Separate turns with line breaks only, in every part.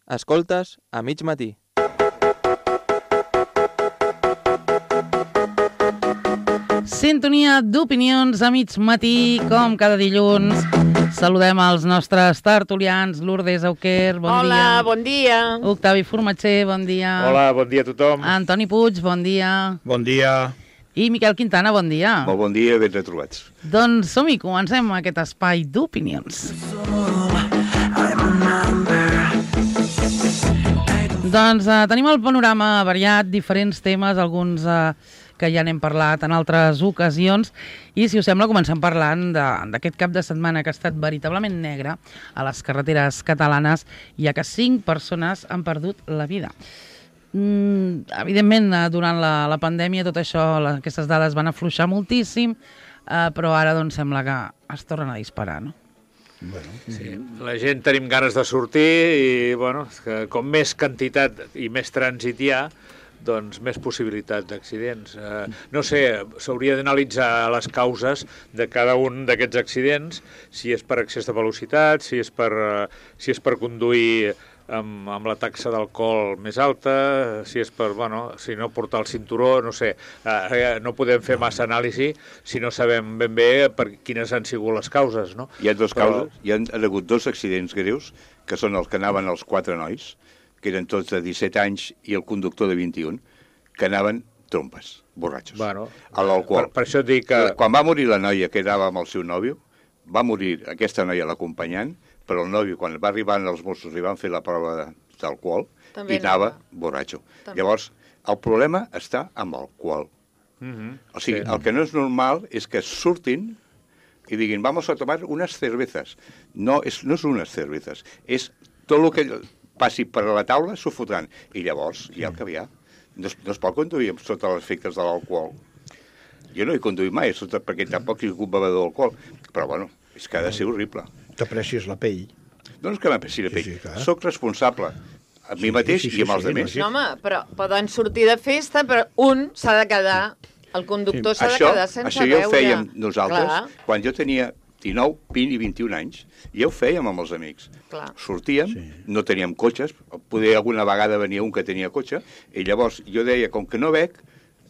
Escoltes a mig matí.
Sintonia d'opinions a mig matí, com cada dilluns. Saludem els nostres tertulians, Lourdes Auquer, bon dia.
Hola, bon dia.
Octavi Formatger, bon dia.
Hola, bon dia a tothom.
Antoni Puig, bon dia.
Bon dia.
I Miquel Quintana, bon dia.
Molt bon dia, ben retrobats.
Doncs som-hi, comencem aquest espai d'opinions. Doncs tenim el panorama variat, diferents temes, alguns que ja n'hem parlat en altres ocasions, i si us sembla comencem parlant d'aquest cap de setmana que ha estat veritablement negre a les carreteres catalanes, ja que 5 persones han perdut la vida. Evidentment, durant la pandèmia tot això, aquestes dades van afluixar moltíssim, però ara doncs sembla que es tornen a disparar, no?
Bueno, sí. La gent tenim ganes de sortir i, bueno, que com més quantitat i més trànsit hi ha, doncs més possibilitat d'accidents. No sé, s'hauria d'analitzar les causes de cada un d'aquests accidents, si és per excés de velocitat, si és per conduir amb la taxa d'alcohol més alta, si és per, bueno, si no portar el cinturó, no sé. No podem fer massa anàlisi si no sabem ben bé per quines han sigut les causes, no?
Hi ha dues causes, hi ha hagut 2 accidents greus, que són els que anaven els 4 nois, que eren tots de 17 anys, i el conductor de 21, que anaven trompes, borratxos.
Bueno,
a l'alcohol.
Per això et dic que...
Quan va morir la noia que anava amb el seu nòvio, va morir aquesta noia l'acompanyant, però el nòvio, quan va arribar els Mossos, li van fer la prova d'alcohol i anava borratxo. També. Llavors, el problema està amb l'alcohol. O sigui, el que no és normal és que surtin i diguin, vamos a tomar unes cervezas. No és unes cervezas, és tot el que passi per la taula s'ho fotran. I llavors, ja el que hi ha, no es pot conduir sota els efectes de l'alcohol. Jo no he conduït mai, perquè tampoc he sigut bevedor d'alcohol, però bueno, és que ha de ser horrible.
T'aprecies la pell.
No és que m'apreci la pell,
clar.
Soc responsable amb mi mateix i amb els altres.
No, home, però poden sortir de festa, però un s'ha de quedar, el conductor s'ha de quedar sense
això
beure.
Això ja ho fèiem nosaltres,
Clar.
quan jo tenia 19, 20 i 21 anys, ja ho fèiem amb els amics.
Clar.
Sortíem, no teníem cotxes, poder alguna vegada venia un que tenia cotxe, i llavors jo deia, com que no bec,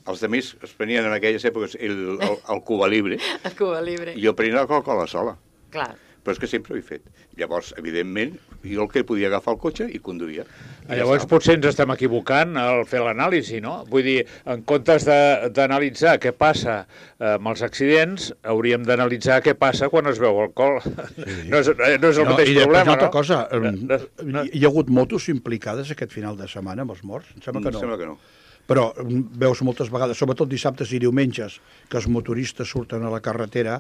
els altres es prenien en aquelles èpoques el Cuba Libre.
El Cuba Libre.
I jo prenia la Coca-Cola sola.
Clar.
Però és que sempre ho he fet. Llavors, evidentment, jo el que podia agafar el cotxe i conduïa.
Llavors potser ens estem equivocant al fer l'anàlisi, no? Vull dir, en comptes d'analitzar què passa amb els accidents, hauríem d'analitzar què passa quan es veu alcohol. Sí. No és el mateix problema, no?
Una altra cosa, hi ha hagut motos implicades aquest final de setmana amb els morts? Em sembla que no.
Sembla que no.
Però veus moltes vegades, sobretot dissabtes i diumenges, que els motoristes surten a la carretera.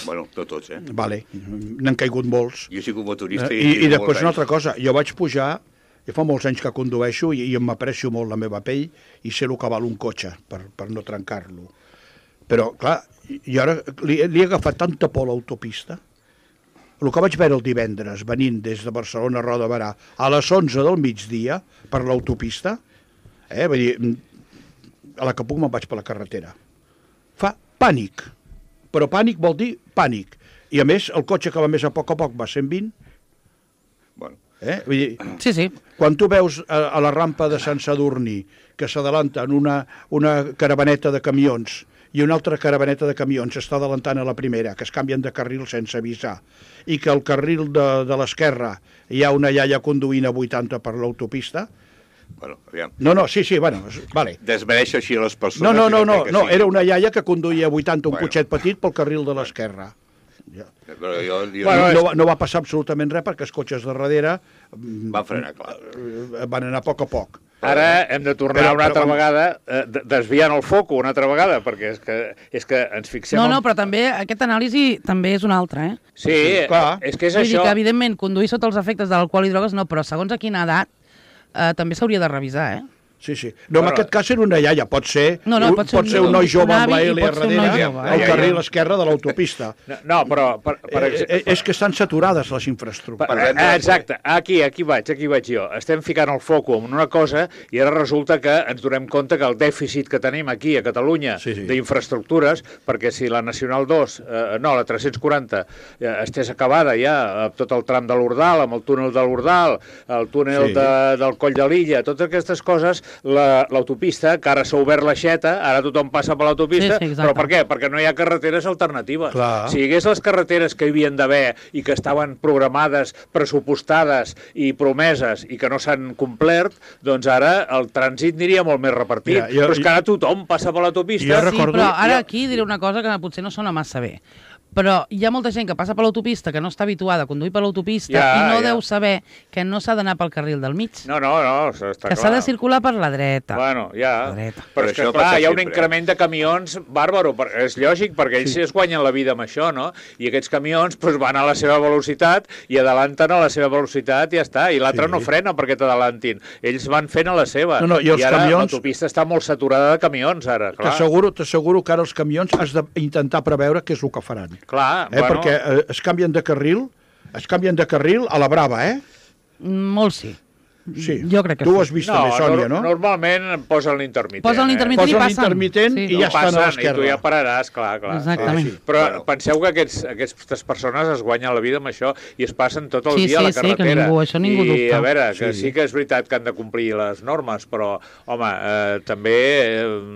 Bueno, no tots,
Vale, n'han caigut molts.
Jo he sigut motorista
I després una altra cosa, jo vaig pujar, ja fa molts anys que condueixo i m'aprecio molt la meva pell i sé el que val un cotxe per no trencar-lo. Però, clar, jo ara li he agafat tanta por a l'autopista. El que vaig veure el divendres, venint des de Barcelona a Roda de Berà, a les 11 del migdia, per l'autopista, vull dir, a la que puc me'n vaig per la carretera. Fa pànic, però pànic vol dir pànic. I a més, el cotxe que va més a poc va 120.
Bueno.
Vull dir,
Sí.
quan tu veus a la rampa de Sant Sadurní que s'adalanten una caravaneta de camions i una altra caravaneta de camions està adelantant a la primera, que es canvien de carril sense avisar, i que al carril de l'esquerra hi ha una iaia conduint a 80 per l'autopista.
Bueno, aviam.
No, sí, bueno, vale.
Desmereixo així les persones.
No, era una iaia que conduïa a 80 un cotxet petit pel carril de l'esquerra. No va passar absolutament res perquè els cotxes de darrere
van frenar, clar.
Van anar a poc.
Ara hem de tornar una altra vegada, desviant el foc una altra vegada, perquè és que ens fixem...
No, però també aquest anàlisi també és un altre,
Sí, clar. És que és
això... Vull
això...
dir que, evidentment, conduir sota els efectes de l'alcohol i drogues no, però segons a quina edat també s'hauria de revisar,
Sí, sí. No, en aquest cas era una iaia, pot ser un noi jove amb la L darrere al carril esquerre de l'autopista.
No, però...
És que estan saturades les infraestructures.
Exacte, aquí vaig jo. Estem ficant el foco en una cosa i ara resulta que ens donem compte que el dèficit que tenim aquí a Catalunya d'infraestructures, perquè si la Nacional 2, la 340, estés acabada ja, tot el tram de l'Ordal, amb el túnel de l'Ordal, el túnel del Coll de l'Illa, totes aquestes coses, l'autopista, que ara s'ha obert l'aixeta, ara tothom passa per l'autopista, però per què? Perquè no hi ha carreteres alternatives.
Clar.
Si hi hagués les carreteres que hi havien d'haver i que estaven programades, pressupostades i promeses i que no s'han complert, doncs ara el trànsit aniria molt més repartit. Però és que ara tothom passa per l'autopista.
Sí, però ara aquí diré una cosa que potser no sona massa bé. Però hi ha molta gent que passa per l'autopista que no està habituada a conduir per l'autopista i no deu saber que no s'ha d'anar pel carril del mig.
No, està clar.
Que s'ha de circular per la dreta.
Bueno, però és que, clar, hi ha un increment de camions bàrbaro. És lògic, perquè ells es guanyen la vida amb això, no? I aquests camions van a la seva velocitat i adelanten a la seva velocitat i ja està. I l'altre no frena perquè t'adelantin. Ells van fent a la seva. I ara l'autopista està molt saturada de camions, ara.
T'asseguro que ara els camions has d'intentar preveure què és el que faran.
Clar,
perquè es canvien de carril a la brava,
Molt sí.
Sí,
jo crec que
tu ho has vist també, Sònia, no?
Normalment posen l'intermitent.
Posen l'intermitent i passen.
Posen l'intermitent i ja estan a l'esquerra.
I tu ja pararàs, clar.
Exactament.
Però penseu que aquestes persones es guanyen la vida amb això i es passen tot el dia a la carretera.
Això ningú dubta.
I a veure, que sí que és veritat que han de complir les normes, però, home, també,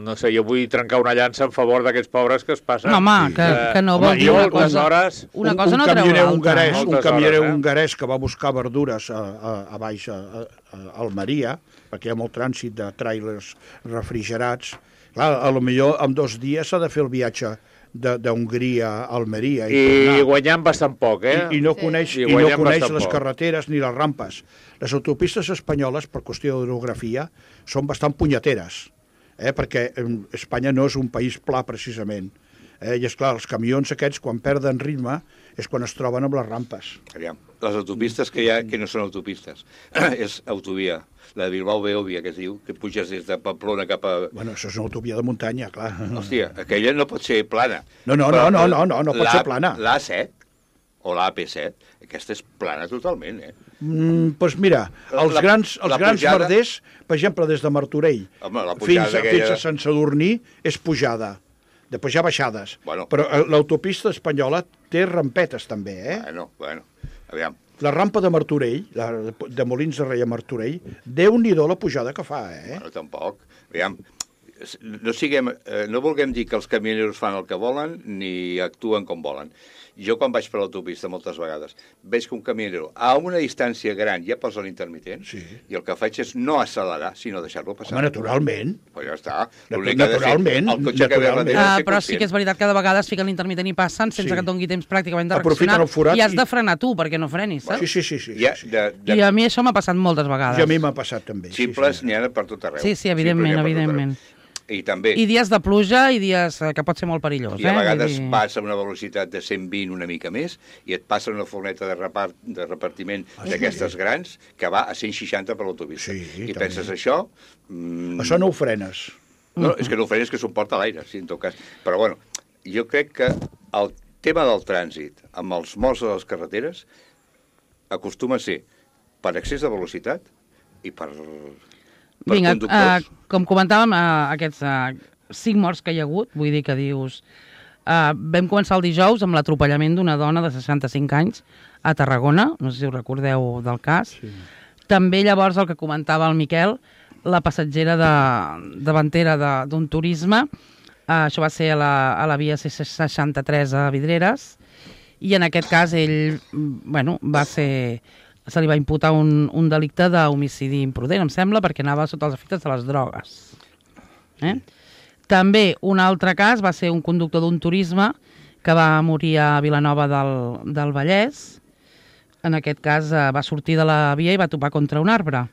no sé, jo vull trencar una llança en favor d'aquests pobres que es passen.
No, home, que no vol dir una cosa. Una cosa no treu l'altra.
Un camioner hongarès que va buscar verdures a baix a Almeria, perquè hi ha molt trànsit de tràilers refrigerats. Clar, potser en 2 dies s'ha de fer el viatge d'Hongria a Almeria.
I guanyant bastant poc,
I no coneix les carreteres ni les rampes. Les autopistes espanyoles, per qüestió d'orografia, són bastant punyeteres, perquè Espanya no és un país pla, precisament. I és clar, els camions aquests, quan perden ritme, és quan es troben amb les rampes.
Aviam, les autopistes que hi ha, que no són autopistes, és autovia. La de Bilbao-Beòvia, que es diu, que puges des de Pamplona cap a...
Bueno, això és una autovia de muntanya, clar.
Hòstia, aquella no pot ser plana.
No pot ser plana.
L'A7 o l'AP7, aquesta és plana totalment,
Doncs mira, els grans merders, per exemple, des de Martorell fins a Sant Sadurní, és pujada. Després hi ha baixades. Però l'autopista espanyola té rampetes, també,
Bueno, aviam.
La rampa de Martorell, de Molins de Rei a Martorell, Déu-n'hi-do la pujada que fa,
Bueno, tampoc. Aviam, no vulguem dir que els camioneros fan el que volen ni actuen com volen. Jo, quan vaig per l'autopista moltes vegades, veig que un camionero a una distància gran ja posa l'intermitent i el que faig és no accelerar, sinó deixar-lo passar.
Home, naturalment.
Pues ja està.
Naturalment.
Però sí que és veritat que de vegades fiquen l'intermitent i passen sense que et doni temps pràcticament de reaccionar i has de frenar tu perquè no frenis, saps?
Sí.
I a mi això m'ha passat moltes vegades.
I a mi m'ha passat també.
Simples n'hi ha per tot arreu.
Sí, evidentment.
I també...
I dies de pluja i dies que pot ser molt perillós.
I a vegades vas a una velocitat de 120 una mica més i et passa una furgoneta de repartiment d'aquestes grans que va a 160 per l'autopista. I penses això...
Això no ho frenes.
No, és que no ho frenes, que s'ho porta a l'aire, en tot cas. Però bueno, jo crec que el tema del trànsit amb els morts a les carreteres acostuma a ser per excés de velocitat i per...
Vinga, com comentàvem, aquests 5 morts que hi ha hagut, vull dir que dius... vam començar el dijous amb l'atropellament d'una dona de 65 anys a Tarragona, no sé si us recordeu del cas. També llavors el que comentava el Miquel, la passatgera davantera d'un turisme, això va ser a la via C63 a Vidreres, i en aquest cas ell, se li va imputar un delicte d'homicidi imprudent, em sembla, perquè anava sota els efectes de les drogues. També un altre cas va ser un conductor d'un turisme que va morir a Vilanova del Vallès. En aquest cas va sortir de la via i va topar contra un arbre.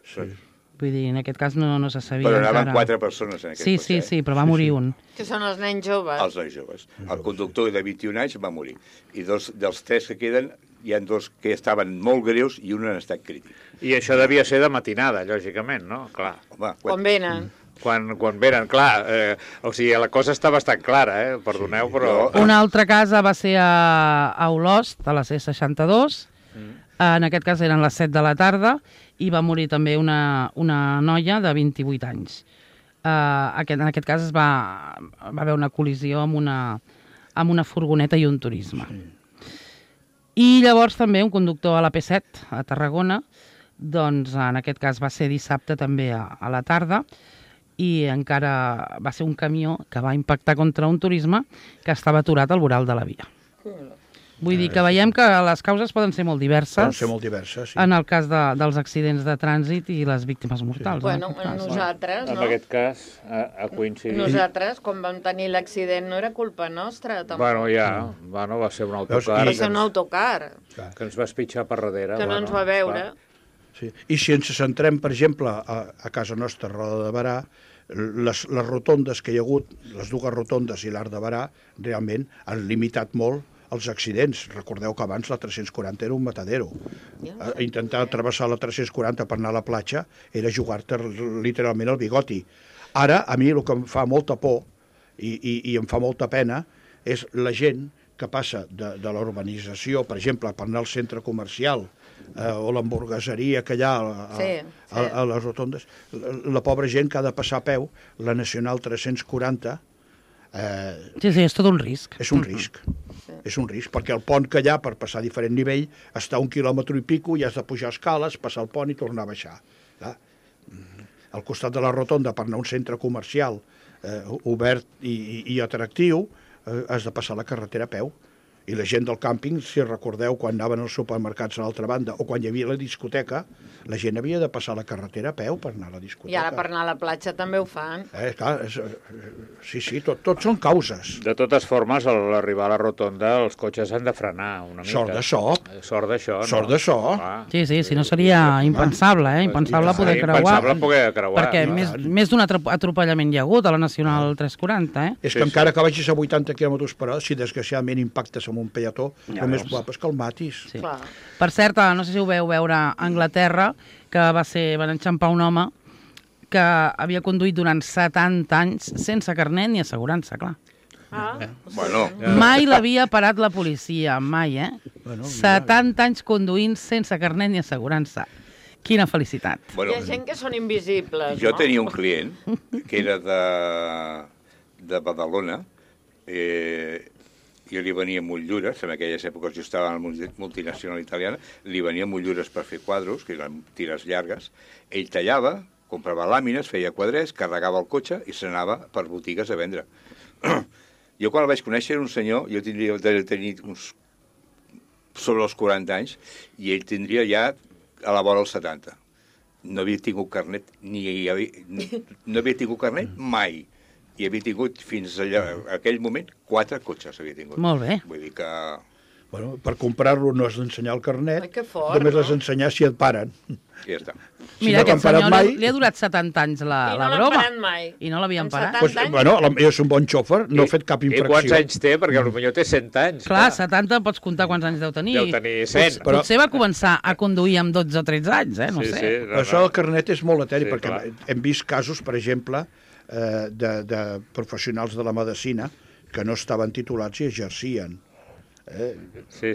Vull dir, en aquest cas no se sabia
encara.
Però
anaven 4 persones en aquest
cotxe. Sí, però va morir un.
Que són els nens joves.
Els nens joves. El conductor de 21 anys va morir. I dels 3 que queden hi ha dos que estaven molt greus i un en estat crític.
I això devia ser de matinada, lògicament, no? Clar.
Home,
Quan venen.
Quan venen, clar, o sigui, la cosa està bastant clara, perdoneu, però...
Una altra casa va ser a Olost, a la C62, en aquest cas eren les 7 de la tarda, i va morir també una noia de 28 anys. En aquest cas va haver una col·lisió amb una furgoneta i un turisme. I llavors també un conductor a la P7, a Tarragona, doncs en aquest cas va ser dissabte també a la tarda, i encara va ser un camió que va impactar contra un turisme que estava aturat al voral de la via. Vull dir que veiem que les causes poden ser molt diverses.
Poden ser molt diverses, sí.
En el cas dels accidents de trànsit i les víctimes mortals.
Bueno, nosaltres, no?
En aquest cas, ha coincidit...
Nosaltres, quan vam tenir l'accident, no era culpa nostra, tampoc.
Bueno, va ser un autocar.
Va ser un autocar.
Que ens va espitxar per darrere.
Que no ens va veure.
Sí. I si ens centrem, per exemple, a casa nostra, a Roda de Berà, les rotondes que hi ha hagut, les dues rotondes i l'Arc de Berà, realment han limitat molt els accidents. Recordeu que abans la 340 era un matadero. Intentar travessar la 340 per anar a la platja era jugar-te literalment el bigoti. Ara, a mi el que em fa molta por i em fa molta pena és la gent que passa de la urbanització, per exemple, per anar al centre comercial o l'hamburgueseria que hi ha a les rotondes, la pobra gent que ha de passar a peu, la Nacional 340,
sí, és tot un risc.
És un risc. És un risc, perquè el pont que hi ha per passar a diferent nivell està 1 quilòmetre i pico i has de pujar escales, passar el pont i tornar a baixar. Al costat de la rotonda, per anar a un centre comercial obert i atractiu, has de passar la carretera a peu. I la gent del càmping, si recordeu, quan anaven als supermercats a l'altra banda o quan hi havia la discoteca, la gent havia de passar la carretera a peu per anar a la discoteca.
I ara per anar a la platja també ho fan.
Clar, sí, tot són causes.
De totes formes, a l'arribar a la rotonda, els cotxes han de frenar una mica.
Sort d'això.
Sort d'això, no?
Sort d'això.
Sí, si no seria impensable, impensable poder creuar.
Impensable poder creuar.
Perquè més d'un atropellament hi ha hagut a la Nacional 340,
És que encara que vagis a 80 km per hora, si desgraciadament impactes amb un peató, el més probable és que el matis.
Sí. Per cert, no sé si ho veu veure a Anglaterra, que van enxampar un home que havia conduït durant 70 anys sense carnet ni assegurança, clar.
Bueno.
Mai l'havia parat la policia, mai, 70 anys conduint sense carnet ni assegurança. Quina felicitat.
Hi ha gent que són invisibles,
jo tenia un client que era de Badalona, jo li venia motllures, en aquelles èpoques jo estava en la multinacional italiana, li venia motllures per fer quadros, que eren tires llargues, ell tallava, comprava làmines, feia quadrets, carregava el cotxe i se n'anava per botigues a vendre. Jo quan el vaig conèixer era un senyor, jo tindria de tenir uns sobre els 40 anys, i ell tindria ja a la vora els 70. No havia tingut carnet, no havia tingut carnet mai. I havia tingut fins allà, aquell moment, 4 cotxes havia tingut.
Molt bé.
Vull dir que...
Bueno, per comprar-lo no has d'ensenyar el carnet,
fort,
només has d'ensenyar si et paren.
Ja està.
Mira, aquest senyor li ha durat 70 anys la broma.
I no l'han parat mai.
I no l'havien parat.
Pues, bueno, és un bon xòfer, no ha fet cap infracció.
I quants anys té? Perquè potser té 100 anys.
Clar, 70 pots comptar quants anys deu tenir.
Deu tenir 100.
Potser va començar a conduir amb 12 o 13 anys, no sé.
Però això del carnet és molt eteri, perquè hem vist casos, per exemple, de professionals de la medicina que no estaven titulats i exercien.
Sí.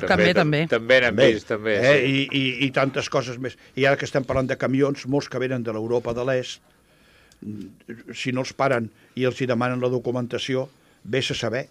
També.
També n'hem vist, també.
I tantes coses més. I ara que estem parlant de camions, molts que venen de l'Europa de l'Est, si no els paren i els hi demanen la documentació, vés a saber.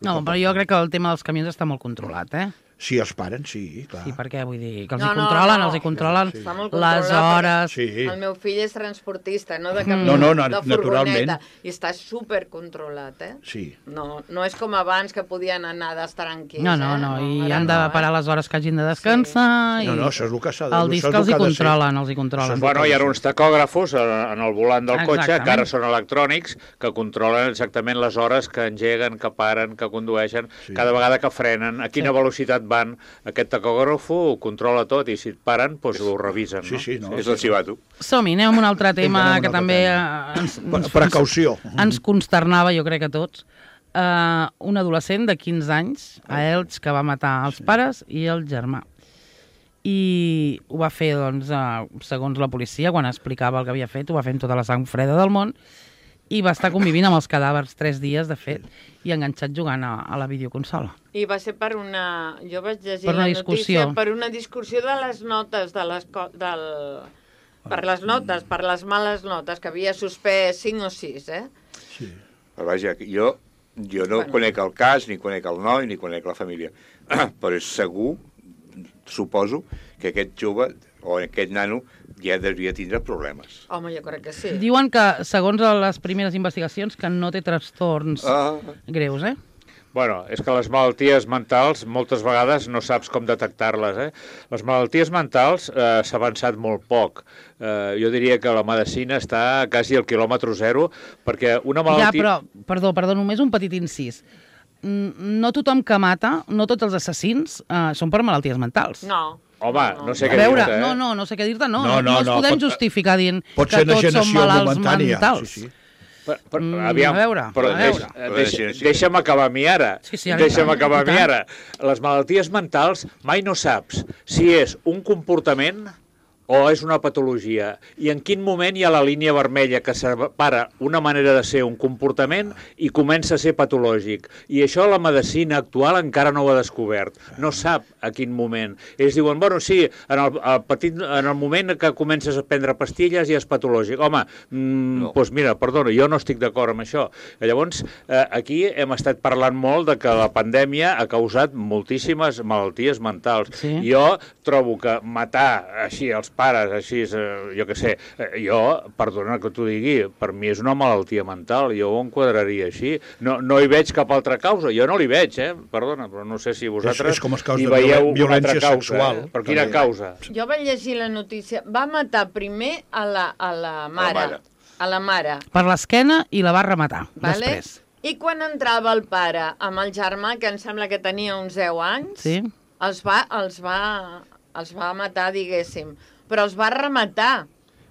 No, però jo crec que el tema dels camions està molt controlat,
Si els paren, sí, clar.
Sí, perquè vull dir que els hi controlen les hores...
Sí.
El meu fill és transportista, no de camió, de furgoneta, i està supercontrolat,
Sí.
No és com abans que podien anar d'estar tranquils.
No, i han de parar les hores que hagin de descansar...
No, això és el que s'ha de...
El disc els hi controlen,
Bueno, hi ha uns tacògrafos en el volant del cotxe, que ara són electrònics, que controlen exactament les hores que engeguen, que paren, que condueixen, cada vegada que frenen, a quina velocitat van. Aquest tacògrafo ho controla tot i si et paren, doncs ho revisen.
Sí,
és el xivato.
Som-hi, anem a un altre tema que també
precaució.
ens consternava, jo crec que a tots. un adolescent de 15 anys a Elx que va matar els pares i el germà. I ho va fer, doncs, segons la policia, quan explicava el que havia fet, ho va fer amb tota la sang freda del món i va estar convivint amb els cadàvers 3 dies, de fet, i enganxat jugant a la videoconsola.
I va ser per una... Jo vaig llegir
per una
la
discussió.
notícia, per una discussió de les notes, per les notes, per les males notes, que havia suspès 5 o 6, eh?
Sí. Però vaja, jo no conec el cas, ni conec el noi, ni conec la família, però és segur, suposo, que aquest jove o aquest nano ja devia tindre problemes.
Home, jo crec que sí.
Diuen que, segons les primeres investigacions, que no té trastorns greus, eh?
Bueno, és que les malalties mentals moltes vegades no saps com detectar-les, eh? Les malalties mentals s'ha avançat molt poc. Jo diria que la medicina està quasi al quilòmetre zero, perquè una malaltia...
Ja, però, perdó, només un petit incís. No tothom que mata, no tots els assassins són per malalties mentals.
No.
Home, no sé què dir-te, eh?
No sé què dir-te, no ens podem justificar dient que tots som malalts mentals.
Sí.
Aviam,
a veure.
Deixa'm acabar a mi ara. Deixa'm acabar a mi ara. Les malalties mentals mai no saps si és un comportament o és una patologia, i en quin moment hi ha la línia vermella que separa una manera de ser un comportament i comença a ser patològic. I això la medicina actual encara no ho ha descobert. No sap a quin moment. Ells diuen, bueno, sí, en el moment que comences a prendre pastilles ja és patològic. Home, doncs mira, perdona, jo no estic d'acord amb això. Llavors, aquí hem estat parlant molt de que la pandèmia ha causat moltíssimes malalties mentals.
Sí.
Jo trobo que matar així els pares, així, jo què sé, perdona que t'ho digui, per mi és una malaltia mental, jo ho enquadraria així. No hi veig cap altra causa, jo no l'hi veig, perdona, però no sé si vosaltres hi veieu una altra causa.
Sexual,
però quina causa?
Jo vaig llegir la notícia, va matar primer a la mare. A la mare.
Per l'esquena i la va rematar, després.
I quan entrava el pare amb el germà, que em sembla que tenia uns 10 anys,
sí,
els va matar, diguéssim. Però els va rematar,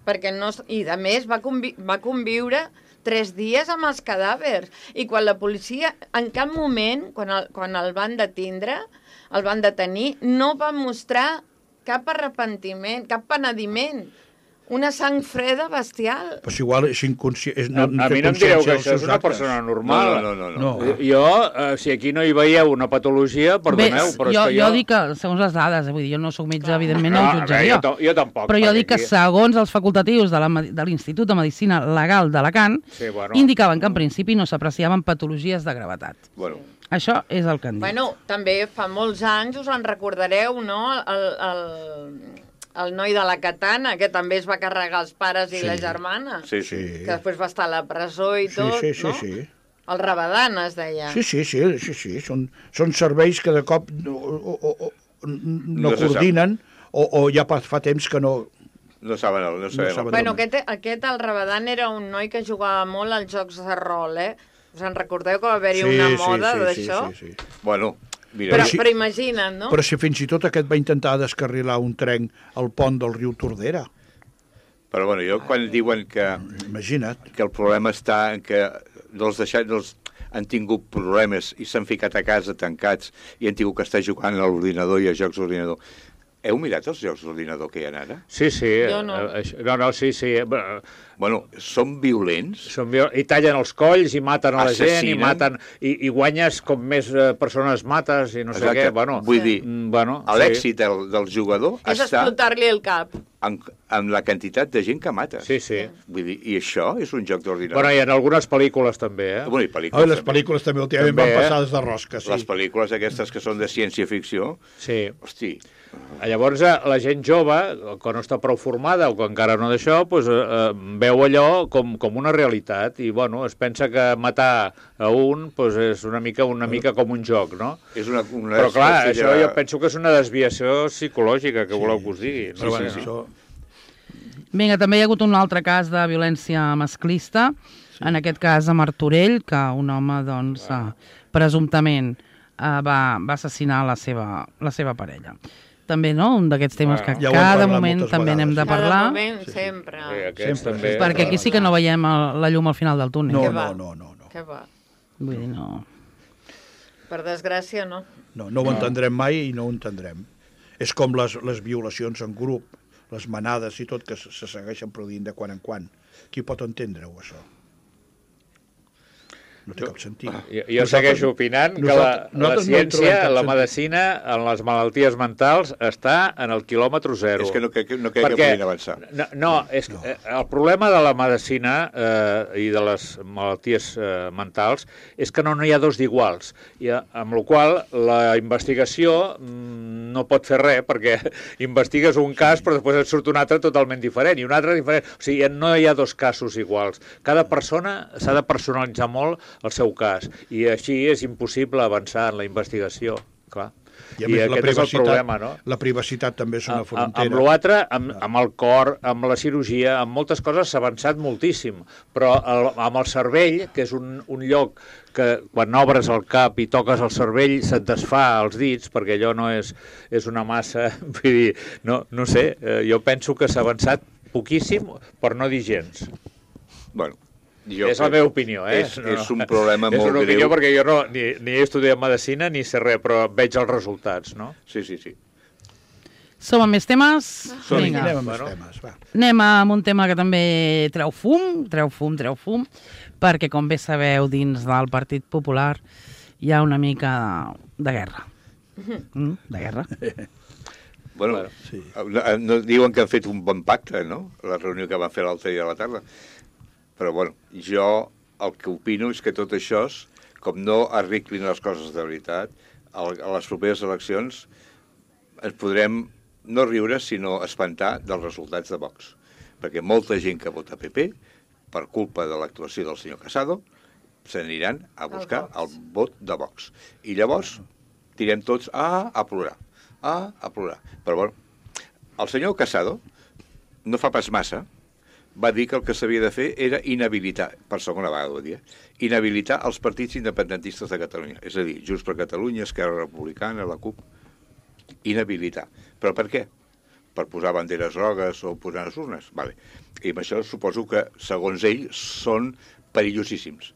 perquè no... I, a més, va conviure 3 dies amb els cadàvers. I quan la policia, en cap moment, quan el van detindre, el van detenir, no va mostrar cap arrepentiment, cap penediment. Una sang freda bestial.
Però igual és inconscient.
A mi no em direu que això és una persona normal.
No.
Jo, si aquí no hi veieu una patologia, perdoneu, però és que
jo dic que, segons les dades, vull dir, jo no soc metge, evidentment no ho jutjaria.
Jo tampoc.
Però jo dic que segons els facultatius de l'Institut de Medicina Legal d'Alacant, indicaven que en principi no s'apreciaven patologies de gravetat.
Bueno.
Això és el que han dit.
Bueno, també fa molts anys, us en recordareu, no?, el noi de la katana, que també es va carregar els pares i la germana.
Sí.
Que després va estar a la presó i tot, no?
Sí.
El Rabadan es deia.
Sí. Són serveis que de cop no coordinen o ja fa temps que no...
No saben.
Bueno, aquest el Rabadan era un noi que jugava molt als jocs de rol, eh? Us en recordeu que va haver-hi una moda d'això?
Sí. Bueno...
Però imagina't, no?
Però si fins i tot aquest va intentar descarrilar un tren al pont del riu Tordera.
Però bueno, quan diuen que...
Imagina't.
Que el problema està en que han tingut problemes i s'han ficat a casa tancats i han tingut que estar jugant a l'ordinador i a jocs d'ordinador. Heu mirat els jocs d'ordinador que hi ha ara?
Sí.
Jo no.
Sí.
Bueno, són violents.
I tallen els colls i maten a la gent,
i
maten i guanyes com més persones mates i no sé què. Bueno,
vull dir, l'èxit del jugador
és explotar-li el cap.
Amb la quantitat de gent que mata.
Sí.
Vull dir, i això és un joc d'ordinador.
Bueno, i en algunes pel·lícules també,
Bueno, i
les pel·lícules també últimament van passades de rosca, sí.
Les pel·lícules aquestes que són de ciència-ficció,
sí.
Hosti.
Llavors, la gent jove, que no està prou formada o que encara no d'això, veu allò com una realitat i, bueno, es pensa que matar a un és una mica com un joc, no? Però, clar, això jo penso que és una desviació psicològica, que voleu que us digui.
Vinga, també hi ha hagut un altre cas de violència masclista, en aquest cas a Martorell, que un home, doncs, presumptament va assassinar la seva parella. També, no?, un d'aquests temes que cada moment també n'hem de parlar.
Cada moment, sempre.
Perquè aquí sí que no veiem la llum al final del túnel.
No.
Què va?
Vull dir, no...
Per desgràcia, no.
No ho entendrem mai i no ho entendrem. És com les violacions en grup, les manades i tot, que se segueixen produint de quan en quan. Qui pot entendre-ho, això? No té cap sentit.
Jo segueixo opinant que la ciència, la medicina, en les malalties mentals, està en el quilòmetre zero.
És que no crec que puguin avançar.
El problema de la medicina i de les malalties mentals és que no hi ha dos d'iguals, amb la qual la investigació no pot fer res, perquè investigues un cas però després et surt un altre totalment diferent, i un altre diferent. O sigui, no hi ha dos casos iguals. Cada persona s'ha de personalitzar molt el seu cas, i així és impossible avançar en la investigació, clar.
I a més,
aquest és el problema, no?
La privacitat també és una frontera.
Amb l'altre, amb el cor, amb la cirurgia, amb moltes coses s'ha avançat moltíssim, però amb el cervell, que és un lloc que quan obres el cap i toques el cervell se't desfà els dits, perquè allò no és una massa, vull dir, no sé, jo penso que s'ha avançat poquíssim, per no dir gens.
Bueno,
és la meva opinió,
És un problema molt greu.
És una opinió perquè jo ni he estudiat medicina ni sé res, però veig els resultats, no?
Sí.
Som amb més temes?
Vinga. Anem amb més temes, va.
Anem amb un tema que també treu fum, perquè, com bé sabeu, dins del Partit Popular hi ha una mica de guerra. De guerra.
Bueno, sí. No diuen que han fet un bon pacte, no?, la reunió que van fer l'altre dia a la tarda. Però, bueno, jo el que opino és que tot això, com no arreglin les coses de veritat, a les properes eleccions ens podrem no riure, sinó espantar dels resultats de Vox. Perquè molta gent que vota PP, per culpa de l'actuació del senyor Casado, s'aniran a buscar el vot de Vox. I llavors tirem tots a plorar. A plorar. Però, bueno, el senyor Casado no fa pas massa va dir que el que s'havia de fer era inhabilitar, per segona vegada ho dia, inhabilitar els partits independentistes de Catalunya. És a dir, Junts per Catalunya, Esquerra Republicana, la CUP. Inhabilitar. Però per què? Per posar banderes grogues o posar les urnes? Vale. I amb això suposo que, segons ell, són perillosíssims.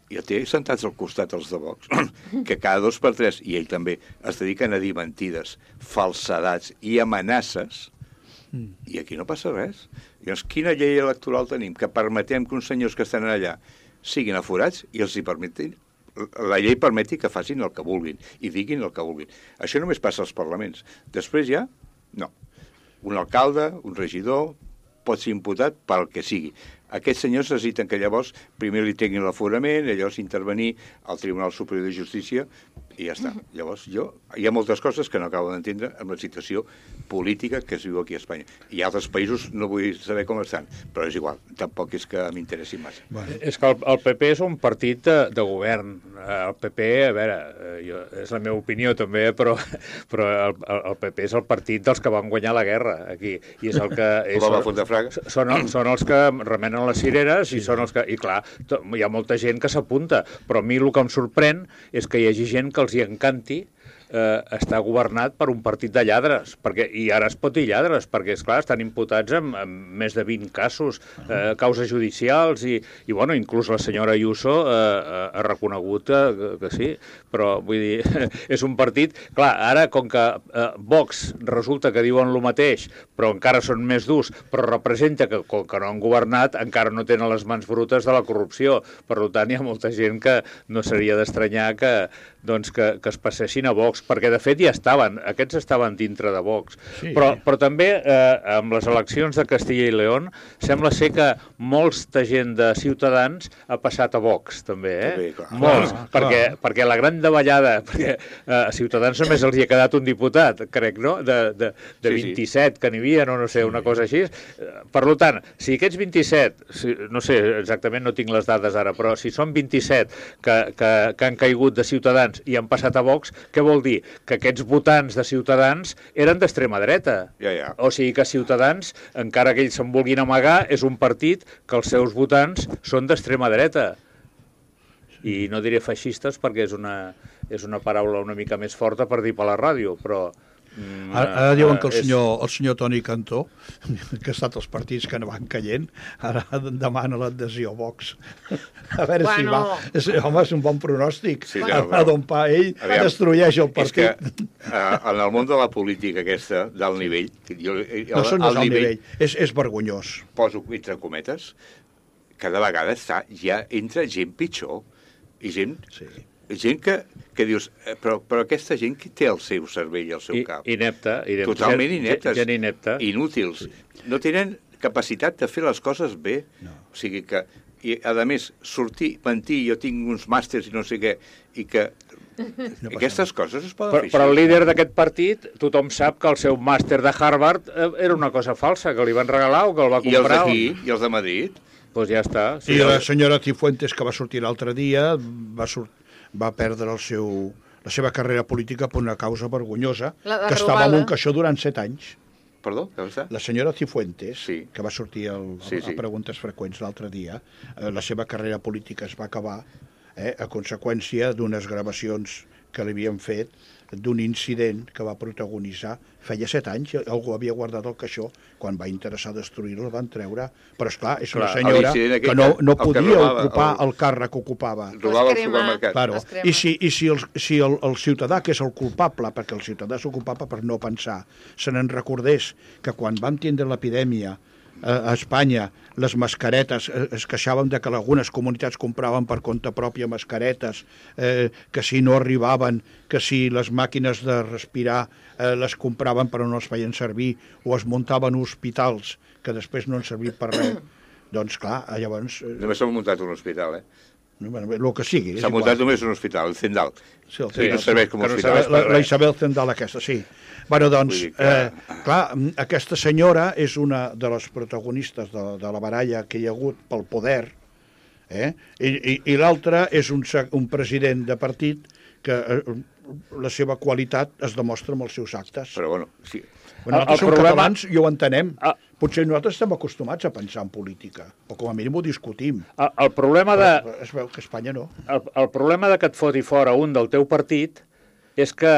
I el té sentats al costat els de Vox, que cada 2 per 3, i ell també, es dediquen a dir mentides, falsedats i amenaces. I aquí no passa res. Llavors, quina llei electoral tenim? Que permetem que uns senyors que estan allà siguin aforats i els hi permetin, la llei permeti que facin el que vulguin i diguin el que vulguin. Això només passa als parlaments. Després ja, no. Un alcalde, un regidor, pot ser imputat pel que sigui. Aquests senyors necessiten que llavors primer li tinguin l'aforament, llavors intervenir al Tribunal Superior de Justícia i ja està. Llavors, hi ha moltes coses que no acabo d'entendre amb la situació política que es viu aquí a Espanya. I altres països no vull saber com estan, però és igual, tampoc és que m'interessi massa.
Bueno. És que el PP és un partit de govern. El PP, a veure, és la meva opinió també, però el PP és el partit dels que van guanyar la guerra aquí. I és el que... Són els que remenen les cireres i són els que... I clar, hi ha molta gent que s'apunta, però a mi el que em sorprèn és que hi hagi gent que els hi encanti està governat per un partit de lladres, i ara es pot dir lladres, perquè, esclar, estan imputats en més de 20 casos, causes judicials, i bueno, inclús la senyora Ayuso ha reconegut que sí, però vull dir, és un partit... Clar, ara, com que Vox resulta que diuen el mateix, però encara són més durs, però representa que, com que no han governat, encara no tenen les mans brutes de la corrupció. Per tant, hi ha molta gent que no seria d'estranyar que es passessin a Vox, perquè de fet ja aquests estaven dintre de Vox. Sí. Però també amb les eleccions de Castilla i León sembla ser que molta gent de Ciutadans ha passat a Vox, també,
També, clar.
Molts, perquè la gran davallada, perquè a Ciutadans només els hi ha quedat un diputat, crec, no? De 27 que n'hi havia, no sé, una cosa així. Per tant, si aquests 27, no sé, exactament no tinc les dades ara, però si són 27 que han caigut de Ciutadans i han passat a Vox, què vol dir? Que aquests votants de Ciutadans eren d'extrema dreta.
Ja.
O sigui que Ciutadans, encara que ells se'n vulguin amagar, és un partit que els seus votants són d'extrema dreta. I no diré feixistes perquè és una paraula una mica més forta per dir per la ràdio, però
Ara diuen que el senyor Toni Cantó, que ha estat els partits que no van caient, ara demana l'adhesió a Vox. A veure si va. Home, és un bon pronòstic.
Sí,
d'on pa ell destrueix el partit.
És que en el món de la política aquesta, d'alt nivell...
No són d'alt nivell, és vergonyós.
Poso entre cometes, cada vegada ja entra gent pitjor. I gent que dius, però aquesta gent que té el seu cervell i el seu cap.
Inepta.
Totalment ineptes.
Gent inepta.
Inútils. No tenen capacitat de fer les coses bé. O sigui que, i a més, sortir, mentir, jo tinc uns màsters i no sé què, i que aquestes coses es poden fer.
Però el líder d'aquest partit, tothom sap que el seu màster de Harvard era una cosa falsa, que li van regalar o que el va comprar.
I els d'aquí, i els de Madrid.
Doncs ja està.
I la senyora Cifuentes, que va sortir l'altre dia, va perdre la seva carrera política per una causa vergonyosa, que estava en un caixó durant 7 anys.
Perdó, què va estar?
La senyora Cifuentes,
sí,
que va sortir a Preguntes Freqüents l'altre dia, la seva carrera política es va acabar a conseqüència d'unes gravacions que li havien fet d'un incident que va protagonitzar feia 7 anys, algú havia guardat el caixó, quan va interessar destruir-lo el van treure, però esclar, és una senyora que no podia ocupar el càrrec que ocupava.
Robava el supermercat.
Claro. I si el ciutadà, que és el culpable, perquè el ciutadà és el culpable per no pensar, se n'en recordés que quan vam tindre l'epidèmia a Espanya, les mascaretes, es queixaven de que algunes comunitats compraven per compte pròpia mascaretes, que si no arribaven, que si les màquines de respirar les compraven però no les feien servir, o es muntaven hospitals que després no han servit per res. Doncs clar, llavors...
Només s'ha muntat un hospital,
el que sigui.
S'ha muntat només un hospital, el Zendal.
Sí,
no serveix com a hospital.
La Isabel Zendal aquesta, sí. Bueno, doncs, clar, aquesta senyora és una de les protagonistes de la baralla que hi ha hagut pel poder, i l'altra és un president de partit que la seva qualitat es demostra amb els seus actes.
Però bueno, sí.
Nosaltres som catalans i ho entenem. Potser nosaltres estem acostumats a pensar en política, o com a mínim ho discutim.
El problema de...
Es veu que a Espanya no.
El problema de que et foti fora un del teu partit és que,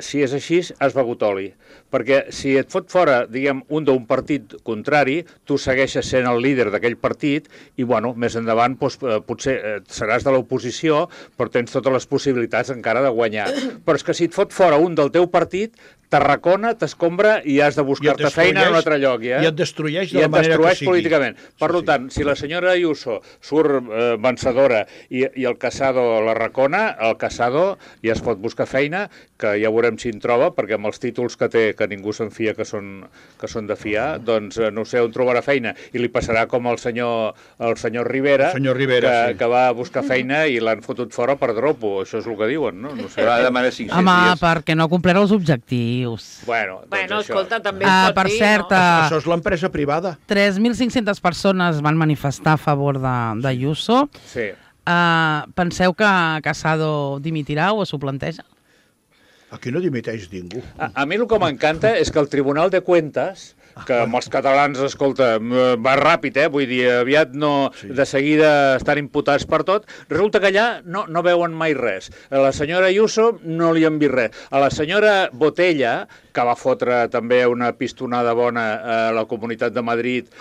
si és així, has begut oli. Perquè si et fot fora, diguem, un d'un partit contrari, tu segueixes sent el líder d'aquell partit i, bueno, més endavant potser seràs de l'oposició, però tens totes les possibilitats encara de guanyar. Però és que si et fot fora un del teu partit, t'arracona, t'escombra i has de buscar-te feina en un altre lloc.
I et destrueix de la manera que sigui.
Políticament. Per tant, si la senyora Ayuso surt vencedora i el Casado l'arracona, el Casado ja es pot buscar feina, que ja veurem si en troba, perquè amb els títols que té, que ningú se'n fia que són de fiar, doncs no sé on trobarà feina. I li passarà com al senyor Rivera, que va buscar feina i l'han fotut fora per dropo. Això és el que diuen, no? No sé.
Home, perquè no ha complert els objectius.
Bueno,
escolta, també es pot
per
dir,
cert,
no?
Això és l'empresa privada.
3.500 persones van manifestar a favor d'Ayuso.
Sí.
Penseu que Casado dimitirà o s'ho planteja?
Aquí no dimiteix ningú.
A mi el que m'encanta és que el Tribunal de Cuentas, que amb els catalans, escolta, va ràpid, vull dir, aviat no, de seguida estan imputats per tot, resulta que allà no veuen mai res. A la senyora Ayuso no li han vist res. A la senyora Botella, que va fotre també una pistonada bona a la Comunitat de Madrid,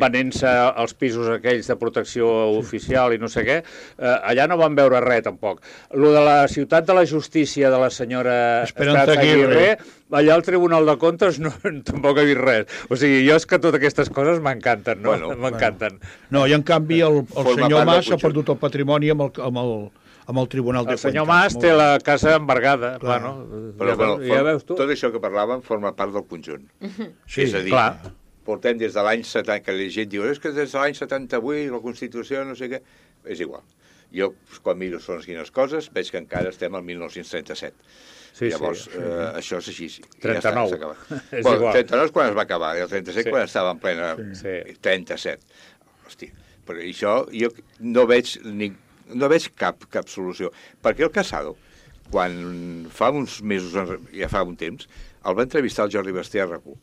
venent-se els pisos aquells de protecció oficial i no sé què, allà no van veure res, tampoc. Lo de la ciutat de la justícia de la senyora Esperanza Aguirre, allà al Tribunal de Comptes tampoc he vist res. O sigui, jo és que totes aquestes coses m'encanten, no? M'encanten.
No, i en canvi el senyor Mas ha perdut el patrimoni amb el Tribunal de Cuentas.
El senyor Mas té la casa embargada, clar, no?
Però ja veus tu? Tot això que parlàvem forma part del conjunt.
Sí,
és a dir, portem des de l'any 70, que la gent diu, és que des de l'any 78 la Constitució no sé què, és igual. Jo, quan miro quines coses, veig que encara estem al 1937. Llavors, això és així.
39.
És igual. 39 és quan es va acabar, i el 37 quan estava en plena... 37. Hòstia, però això jo no veig cap solució. Perquè el Casado, quan fa uns mesos, ja fa un temps, el va entrevistar el Jordi Basté a RAC1,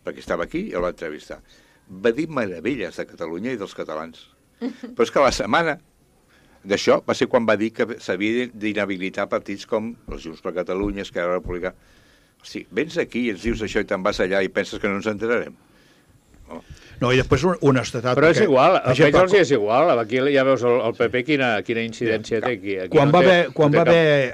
perquè estava aquí i el va entrevistar. Va dir meravelles de Catalunya i dels catalans. Però és que la setmana d'això va ser quan va dir que s'havia d'inhabilitar partits com els Junts per Catalunya, Esquerra Republicana. Sí, vens aquí i ens dius això i te'n vas allà i penses que no ens enterarem.
No, i després honestedat...
Però és igual, almenys els és igual. Aquí ja veus el PP quina incidència té aquí.
Quan va haver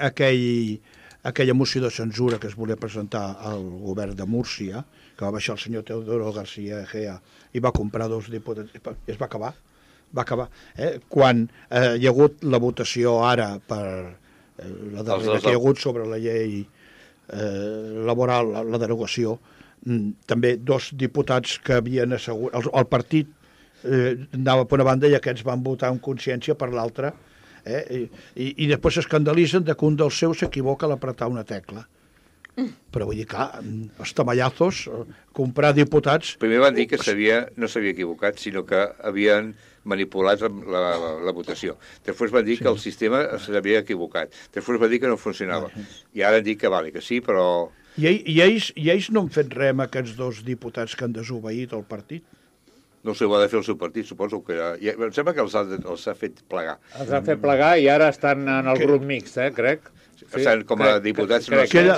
aquella moció de censura que es volia presentar al govern de Múrcia, que va baixar el senyor Teodoro García Egea i va comprar 2 diputats, i es va acabar. Quan hi ha hagut la votació ara per la darrera que hi ha hagut sobre la llei laboral, la derogació, també 2 diputats que havien assegurat... El partit anava per una banda i aquests van votar amb consciència per l'altra, i després s'escandalitzen que un dels seus s'equivoca a l'apretar una tecla. Però vull dir, clar, els tamallazos, comprar diputats...
Primer van dir que no s'havia equivocat, sinó que havien manipulat la votació. Després van dir que el sistema s'havia equivocat. Després van dir que no funcionava. I ara han dit que sí, però...
I ells no han fet res amb aquests 2 diputats que han desobeït el partit?
No sé, ho ha de fer el seu partit, suposo que... Em sembla que els ha fet plegar.
Els han fet plegar i ara estan en el grup mixt, crec.
Estan com a diputats...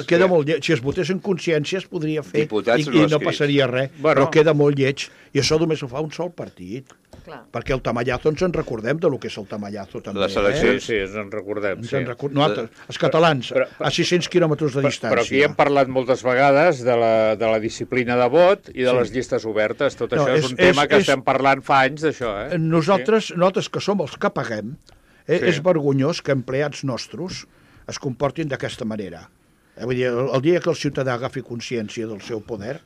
Queda molt lleig. Si es votés en consciència es podria fer i no passaria res, però queda molt lleig. I això només ho fa un sol partit. Clar. Perquè el tamallazo ens en recordem de lo que és el tamallazo també.
Les eleccions,
sí, ens en recordem.
Nosaltres, els catalans, a 600 quilòmetres de distància.
Però aquí hem parlat moltes vegades de la disciplina de vot i de les llistes obertes. Tot això és un tema que estem parlant fa anys d'això.
Nosaltres que som els que paguem, és vergonyós que empleats nostres es comportin d'aquesta manera. Vull dir, el dia que el ciutadà agafi consciència del seu poder,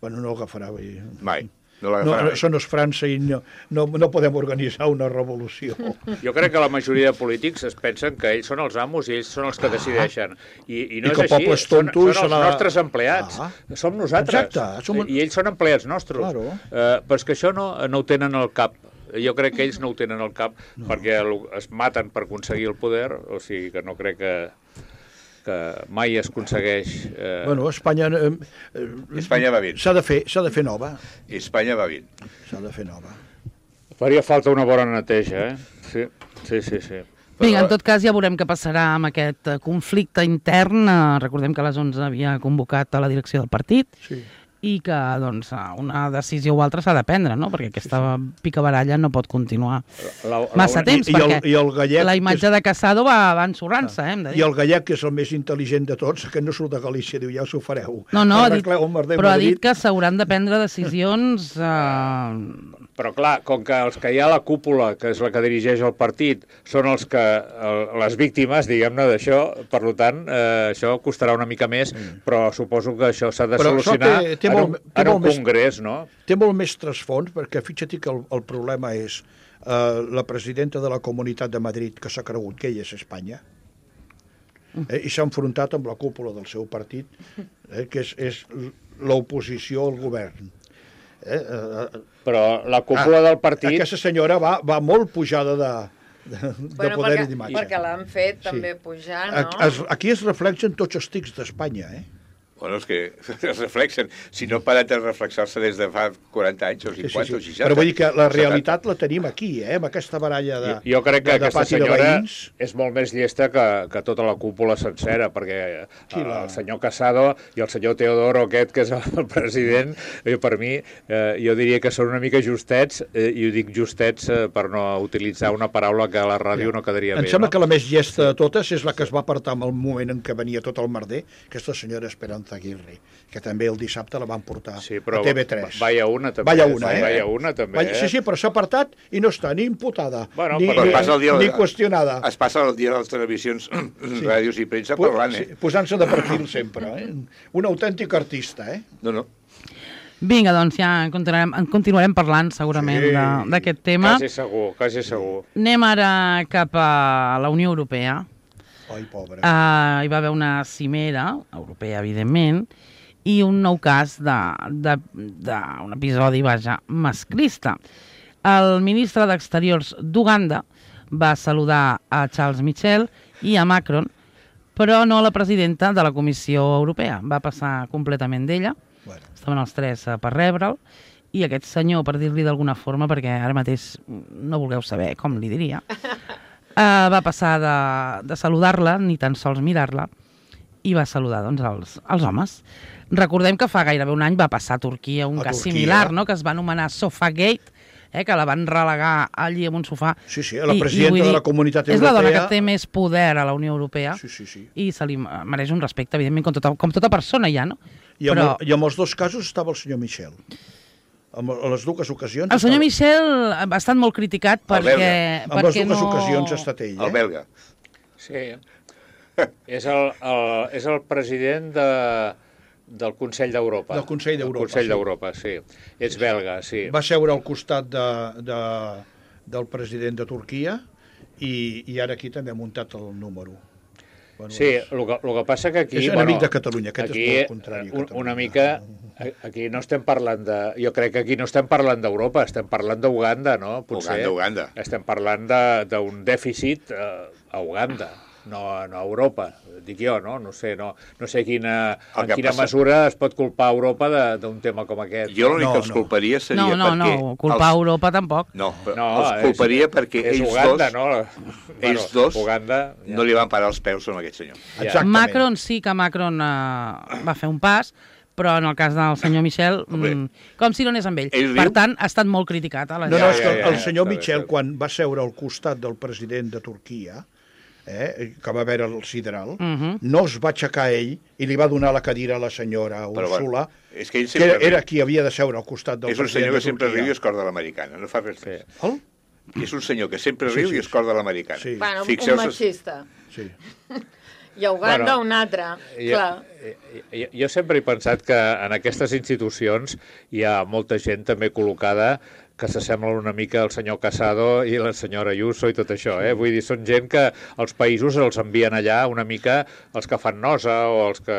bueno, no l'agafarà.
Mai.
Això no és França i no podem organitzar una revolució.
Jo crec que la majoria de polítics es pensen que ells són els amos i ells són els que decideixen. I no és així, són els nostres empleats. Som nosaltres.
Exacte.
I ells són empleats nostres. Però és que això no ho tenen al cap. Jo crec que ells no ho tenen al cap perquè es maten per aconseguir el poder, o sigui que no crec que mai es aconsegueix...
Bueno, Espanya
va bé.
S'ha de fer nova.
Espanya va bé.
S'ha de fer nova.
Faria falta una bona neteja, Sí.
Vinga, en tot cas ja veurem què passarà amb aquest conflicte intern. Recordem que a les 11 havia convocat a la direcció del partit. Sí. I que doncs, una decisió o altra s'ha de prendre, no? Perquè aquesta picabaralla no pot continuar massa temps, perquè la imatge de Casado va ensorrant-se. I
el gallec, que és el més intel·ligent de tots, que no surt de Galícia, diu, ja us ho fareu.
No, però ha dit que s'hauran de prendre decisions...
Però clar, com que els que hi ha a la cúpula, que és la que dirigeix el partit, són les víctimes, diguem-ne, d'això, per tant, això costarà una mica més, però suposo que això s'ha de solucionar en un congrés, no?
Té molt més trasfons, perquè fixa't que el problema és la presidenta de la Comunitat de Madrid, que s'ha cregut que ella és Espanya, i s'ha enfrontat amb la cúpula del seu partit, que és l'oposició al govern.
Però la cúpula del partit...
Aquesta senyora va molt pujada de poder i d'imatge.
Perquè l'han fet també pujar, no?
Aquí es reflexen tots els tics d'Espanya,
Bueno, és que es reflexen. Si no paren de reflexar-se des de fa 40 anys o 50 o 60.
Però vull dir que la realitat la tenim aquí, amb aquesta baralla de
Jo crec que aquesta senyora és molt més llesta que tota la cúpula sencera, perquè el senyor Casado i el senyor Teodoro aquest, que és el president, per mi, jo diria que són una mica justets, i ho dic justets per no utilitzar una paraula que a la ràdio no quedaria bé.
Em sembla que la més llesta de totes és la que es va apartar en el moment en què venia tot el merder, aquesta senyora Esperanza Aguirre, que també el dissabte la van portar a TV3.
Vaya una, també.
Vaya una, també. Sí, però s'ha apartat i no està ni imputada, ni qüestionada.
Es passa el dia de les televisions, ràdios i premsa parlant,
posant-se de perfil sempre, Un autèntic artista,
No.
Vinga, doncs ja en continuarem parlant segurament d'aquest tema.
Quasi segur.
Anem ara cap a la Unió Europea.
Ai, pobre.
Hi va haver una cimera europea, evidentment, i un nou cas d'un episodi, masclista. El ministre d'Exteriors d'Uganda va saludar a Charles Michel i a Macron, però no a la presidenta de la Comissió Europea. Va passar completament d'ella. Estaven els 3 per rebre'l, i aquest senyor, per dir-li d'alguna forma, perquè ara mateix no vulgueu saber com li diria, va passar de saludar-la, ni tan sols mirar-la, i va saludar doncs, els homes. Recordem que fa gairebé un any va passar a Turquia un cas similar, no? Que es va anomenar Sofagate, que la van relegar allí en un sofà.
Sí, la presidenta de la Comunitat Europea...
És la dona que té més poder a la Unió Europea
sí.
I se li mereix un respecte, evidentment, com tota persona ja, no?
I en els dos casos estava el senyor Michel. A les dues ocasions...
El senyor Michel ha estat molt criticat perquè...
En les dues ocasions ha estat ell,
El belga.
Sí. És el president del Consell d'Europa.
Del Consell d'Europa,
Consell d'Europa, sí. És belga, sí.
Va seure al costat del president de Turquia i ara aquí també ha muntat el número. Bueno,
sí, el que passa que aquí...
És enemic de Catalunya, aquest és molt contrari.
Una mica, aquí no estem parlant de... Jo crec que aquí no estem parlant d'Europa, estem parlant d'Uganda, no? Potser
Uganda.
Estem parlant d'un dèficit a Uganda. No a Europa, dic jo, no? No sé en quina mesura es pot culpar Europa d'un tema com aquest.
Jo l'únic que els culparia seria perquè...
No, culpar Europa tampoc.
No, els culparia perquè ells
Uganda,
ells dos
Uganda,
no li van parar els peus amb aquest senyor.
Exactament.
Macron sí que Macron va fer un pas, però en el cas del senyor Michel, com si no anés amb ell. Per tant, ha estat molt criticat.
És que el senyor Michel, quan va seure al costat del president de Turquia, que va veure el sideral, no es va aixecar ell i li va donar la cadira a la senyora Úrsula,
és que
era qui havia de seure al costat del president de Turquia.
És un senyor que sempre riu i es corda l'americana, no fa res més. És un senyor que sempre riu i es corda l'americana.
Bueno, un machista.
Sí.
I a Uganda un altre, clar.
Jo sempre he pensat que en aquestes institucions hi ha molta gent també col·locada que s'assemblen una mica al senyor Casado i la senyora Ayuso i tot això, Vull dir, són gent que els països els envien allà una mica els que fan nosa o els que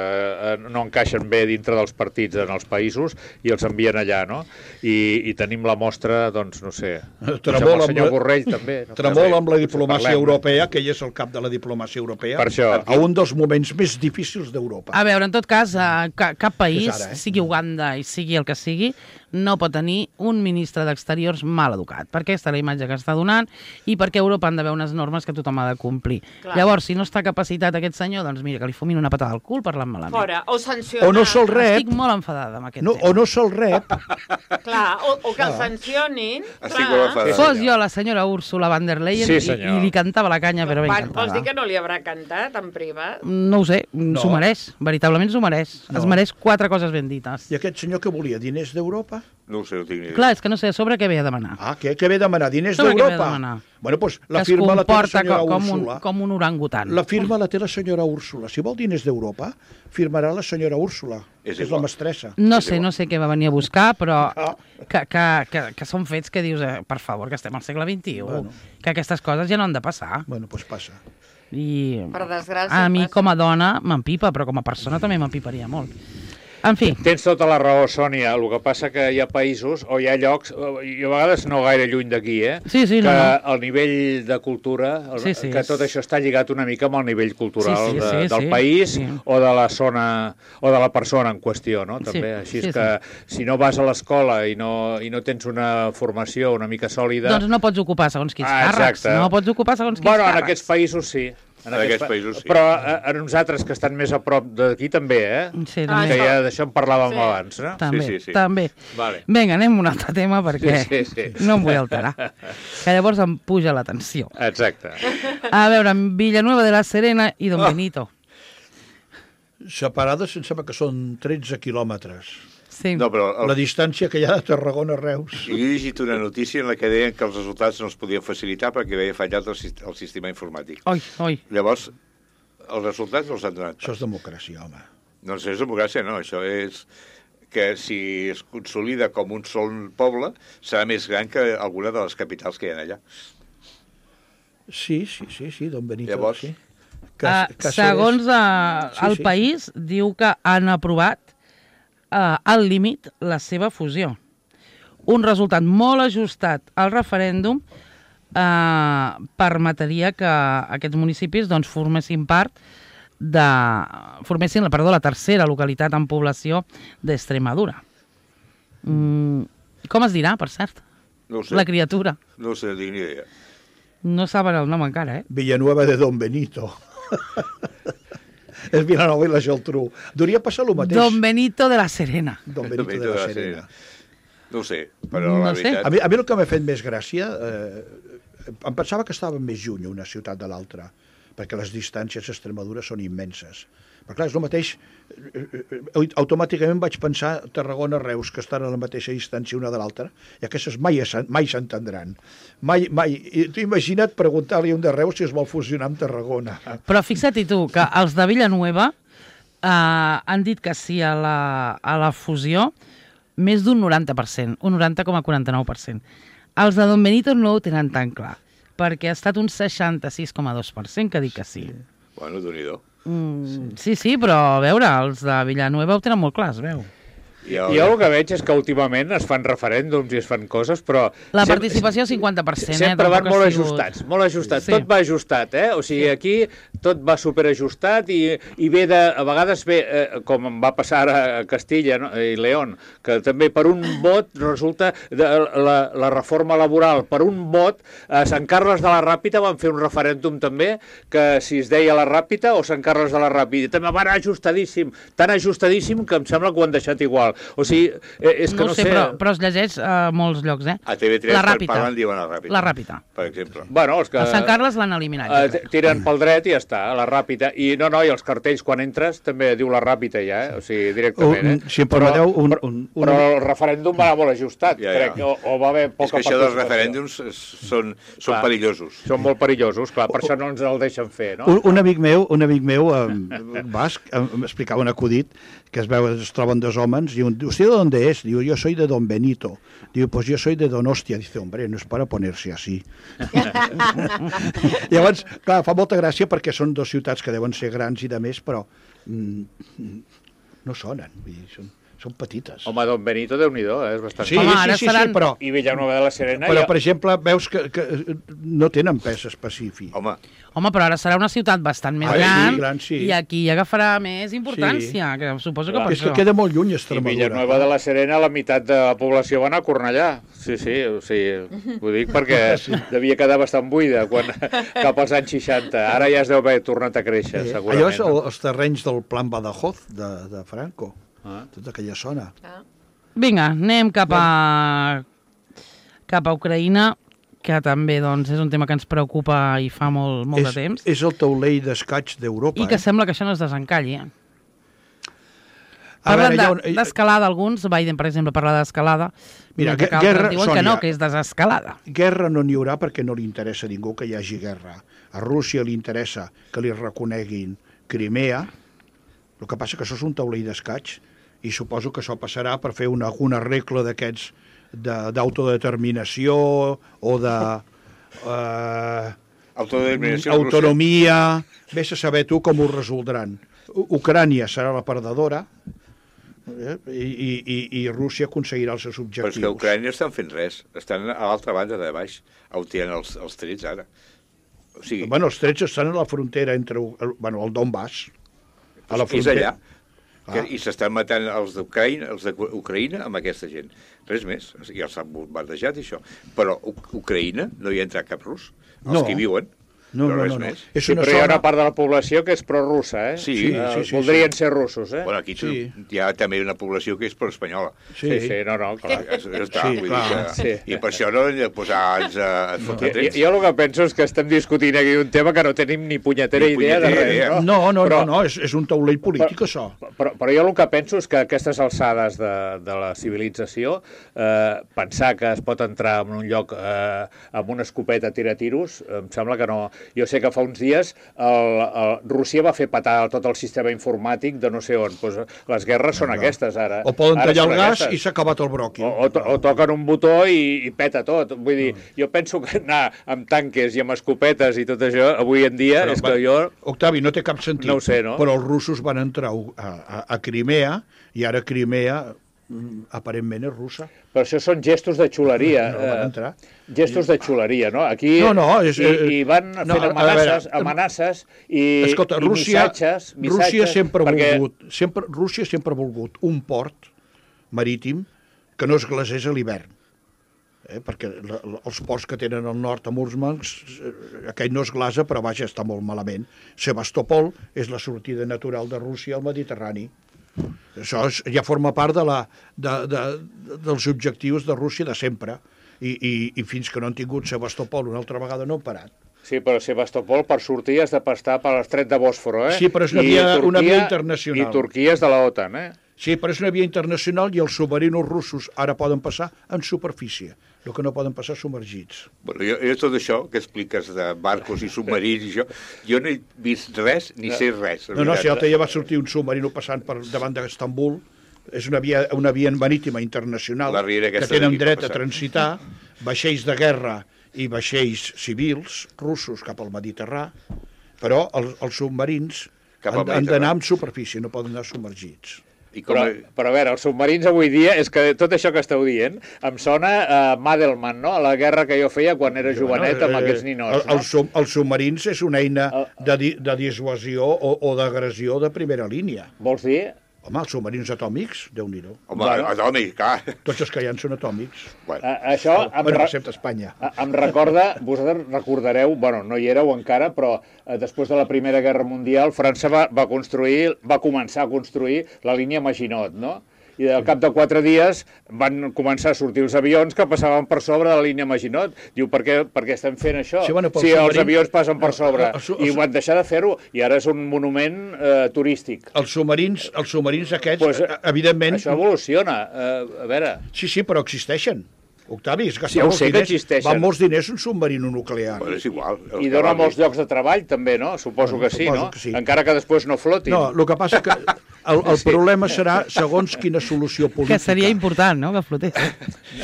no encaixen bé dintre dels partits en els països i els envien allà, no? I tenim la mostra, doncs, no sé, el senyor Borrell també.
Tremol amb la diplomàcia europea, que ell és el cap de la diplomàcia europea, a un dels moments més difícils d'Europa.
A veure, en tot cas, cap país, sigui Uganda i sigui el que sigui, no pot tenir un ministre d'Exteriors mal educat, perquè aquesta és la imatge que està donant i perquè a Europa han d'haver unes normes que tothom ha de complir. Clar. Llavors, si no està capacitat aquest senyor, doncs mira, que li fumin una patada al cul parlant malament.
Fora, o sancionar.
O no se'l rep.
Estic molt enfadada amb aquest tema.
O no se'l rep.
Clar, o que el sancionin.
Estic molt enfadada.
Fos jo la senyora Úrsula von der Leyen i li cantava la canya, però ben cantada.
Vols dir que no li haurà cantat en privat?
No ho sé, s'ho mereix, veritablement s'ho mereix. Es mereix 4 coses ben dites.
I aquest senyor que volia? Diners d'Europa?
No ho sé, no tinc ni idea.
Clar, és que no sé, a sobre què ve a demanar.
Què ve a demanar? Diners d'Europa? Bueno, doncs la firma la té la senyora Úrsula.
Com un orangutan.
La firma la té la senyora Úrsula. Si vol diners d'Europa, firmarà la senyora Úrsula, que és la mestressa.
No sé què va venir a buscar, però que són fets que dius, per favor, que estem al segle XXI, que aquestes coses ja no han de passar.
Bueno, doncs passa.
I
per desgràcia,
a mi com a dona m'empipa, però com a persona també m'empiparia molt. En fi.
Tens tota la raó, Sònia. El que passa que hi ha països o hi ha llocs, i a vegades no gaire lluny d'aquí, que el nivell de cultura, que tot això està lligat una mica amb el nivell cultural del país o de la zona o de la persona en qüestió, no? També. Així és que si no vas a l'escola i no tens una formació una mica sòlida...
Doncs no pots ocupar segons quins càrrecs. No pots ocupar segons quins càrrecs.
Bueno, en aquests països sí. En aquests països sí. Però a nosaltres que estan més a prop d'aquí també,
Sí,
també. Que ja d'això en parlàvem abans, no?
També.
Vale.
Vinga, anem a un altre tema perquè no em vull alterar. Que llavors em puja la tensió.
Exacte.
A veure, Villanueva de la Serena i Don Benito.
Separades em sembla que són 13 quilòmetres.
Sí.
No, però
la distància que hi ha de Tarragona a Reus.
Jo he llegit una notícia en la que deien que els resultats no els podien facilitar perquè havia fallat el sistema informàtic. Llavors, els resultats no els han donat.
Això és democràcia, home.
No és democràcia, no. Això és que si es consolida com un sol poble, serà més gran que alguna de les capitals que hi ha allà.
Sí, Don Benito.
Llavors,
sí.
Segons el país, diu que han aprovat al límit la seva fusió. Un resultat molt ajustat al referèndum permetria que aquests municipis formessin la tercera localitat en població d'Extremadura. Com es dirà, per cert?
No ho sé.
La criatura.
No sé, tinc ni idea.
No saben el nom encara,
Villanueva de Don Benito. és Vilanova i la Geltrú. Hauria passar el mateix.
Don Benito de la Serena.
Don Benito de la Serena.
No ho sé, però la veritat...
A mi el que m'ha fet més gràcia, em pensava que estava més lluny una ciutat de l'altra, perquè les distàncies a Extremadura són immenses. Però clar, és el mateix... Automàticament vaig pensar Tarragona, Reus, que estan a la mateixa distància una de l'altra, i aquestes mai s'entendran. Mai. Tu imagina't preguntar-li a un de Reus si es vol fusionar amb Tarragona.
Però fixa't-hi tu, que els de Villanueva han dit que sí a la fusió més d'un 90%, un 90,49%. Els de Don Benito no ho tenen tan clar, perquè ha estat un 66,2% que dic que sí.
Bueno, Déu-n'hi-do.
Sí, però a veure, els de Villanueva ho tenen molt clar, es veu.
Jo el que veig és que últimament es fan referèndums i es fan coses, però...
La participació 50%,
sempre van molt ajustats, molt ajustats. Sí. Tot va ajustat, O sigui, aquí tot va superajustat i ve a vegades ve, com va passar a Castilla i León, que també per un vot resulta la reforma laboral, per un vot, a Sant Carles de la Ràpita van fer un referèndum també, que si es deia la Ràpita o Sant Carles de la Ràpita, també van ajustadíssim, tan ajustadíssim que em sembla que ho han deixat igual. O sigui, és que no sé...
Però es llegeix a molts llocs,
A TV3 parlen diuen la Ràpita.
La Ràpita.
Per exemple.
Bueno, els que...
A Sant Carles l'han eliminat.
Tiren pel dret i ja està, la Ràpita. I i els cartells quan entres també diu la Ràpita ja, O sigui, directament,
Si em permeteu...
Però el referèndum va anar molt ajustat, crec, o va haver poca participació. És
que això dels referèndums són perillosos.
Són molt perillosos, clar, per això no ens el deixen fer, no?
Un amic meu, basc, m'explicava un acudit que es troben dos homes, diuen, ¿usted de dónde es? Digo, yo soy de Don Benito. Digo, pues yo soy de Donostia. Dice, hombre, no es para ponerse así. Llavors, clar, fa molta gràcia perquè són dues ciutats que deuen ser grans i de més, però no sonen, vull dir, són petites.
Home, Don Benito, Déu-n'hi-do, és bastant...
Sí, però...
I Villanueva de la Serena...
Però, per exemple, veus que no tenen pes específic.
Home, però ara serà una ciutat bastant més gran, i aquí agafarà més importància, que suposo que per
això. És que queda molt lluny Extremadura.
I Villanueva de la Serena, la meitat de la població va anar a Cornellà. Sí, o sigui, ho dic perquè devia quedar bastant buida cap als anys 60. Ara ja es deu haver tornat a créixer, segurament.
Allò és els terrenys del Plan Badajoz de Franco. Tota aquella zona.
Vinga, anem cap a Ucraïna, que també doncs, és un tema que ens preocupa i fa molt de temps.
És el taulell d'escaig d'Europa.
I que sembla que això no es desencalli. Parlen d'escalada alguns, Biden, per exemple, parla d'escalada.
Mira, guerra,
diuen que no, que és desescalada.
Guerra no n'hi haurà perquè no li interessa a ningú que hi hagi guerra. A Rússia li interessa que li reconeguin Crimea. El que passa que això és un taulell d'escaig i suposo que això passarà per fer alguna regla d'aquests d'autodeterminació o de autonomia. Vés a saber tu com ho resoldran. Ucrània serà la perdedora i Rússia aconseguirà els seus objectius.
Però és que Ucrània estan fent res. Estan a l'altra banda de baix, on tenen els trets ara. O sigui...
Bueno, els trets estan a la frontera entre el Donbass. A la
frontera. És allà. I s'estan matant els d'Ucraïna amb aquesta gent. Res més. Ja els han bombardejat, això. Però Ucraïna no hi ha entrat cap rus. Els que hi viuen.
No.
Sí, però hi ha una part de la població que és prorrussa,
Sí.
Voldrien ser russos,
Bueno, aquí hi ha també una població que és pro-espanyola.
Sí, clar.
I per això no hem de posar-nos a fotre trets.
Jo el que penso és que estem discutint aquí un tema que no tenim ni punyetera idea de res.
No, és un taulell polític, això.
Però jo el que penso és que a aquestes alçades de la civilització, pensar que es pot entrar en un lloc amb una escopeta a tirar tiros, em sembla que no. Jo sé que fa uns dies Rússia va fer petar tot el sistema informàtic de no sé on. Pues les guerres són aquestes, ara.
O poden tallar el gas i s'ha acabat el bròquil.
O toquen un botó i peta tot. Vull dir, jo penso que anar amb tanques i amb escopetes i tot això, avui en dia, és que jo...
Octavi, no té cap sentit.
No ho sé, no?
Però els russos van entrar a Crimea i ara Crimea aparentment és russa.
Però això són gestos de xuleria. Gestos de xuleria, no? Aquí i van fent amenaces i missatges.
Rússia sempre ha volgut un port marítim que no es glacés a l'hivern. perquè els ports que tenen al nord a Murmansk, aquell no es glasa, però vaja, està molt malament. Sebastopol és la sortida natural de Rússia al Mediterrani. Això ja forma part dels objectius de Rússia de sempre, i fins que no han tingut Sebastopol una altra vegada no han parat.
Sí, però Sebastopol per sortir has de passar per l'estret de Bòsforo,
Sí, però és una via internacional.
I Turquia és de la OTAN,
Sí, però és una via internacional i els submarinos russos ara poden passar en superfície, el que no poden passar submergits.
Bueno, jo tot això que expliques de barcos i submarins i això, jo no he vist res ni sé res.
No, si l'altre dia va sortir un submarino passant per davant d'Estambul, és una via marítima internacional que tenen dret a transitar vaixells de guerra i vaixells civils russos cap al Mediterrà, però els submarins han d'anar en superfície, no poden anar submergits.
Però a veure, els submarins avui dia, és que tot això que esteu dient em sona a Madelman, no? A la guerra que jo feia quan era jovenet amb aquests ninots.
Els submarins és una eina de dissuasió o d'agressió de primera línia.
Vols dir?
Home, els submarins atòmics, Déu-n'hi-do.
Home, atòmics, clar.
Tots els que hi ha són atòmics.
Això
excepte Espanya.
Em recorda, vosaltres recordareu, bueno, no hi éreu encara, però després de la Primera Guerra Mundial, França va començar a construir la línia Maginot, no? I al cap de 4 dies van començar a sortir els avions que passaven per sobre de la línia Maginot. Diu, per què estem fent això? Si els avions passen per sobre. I van deixar de fer-ho, i ara és un monument turístic.
Els submarins aquests, evidentment...
Això evoluciona, a veure...
Sí, però existeixen. Octavi, van molts diners un submarino nuclear.
Però és igual.
I dona molts llocs de treball, també, no? Suposo que sí, no? Encara que després no flotin.
No, el que passa que el problema serà segons quina solució política.
Que seria important, no?, que flotés.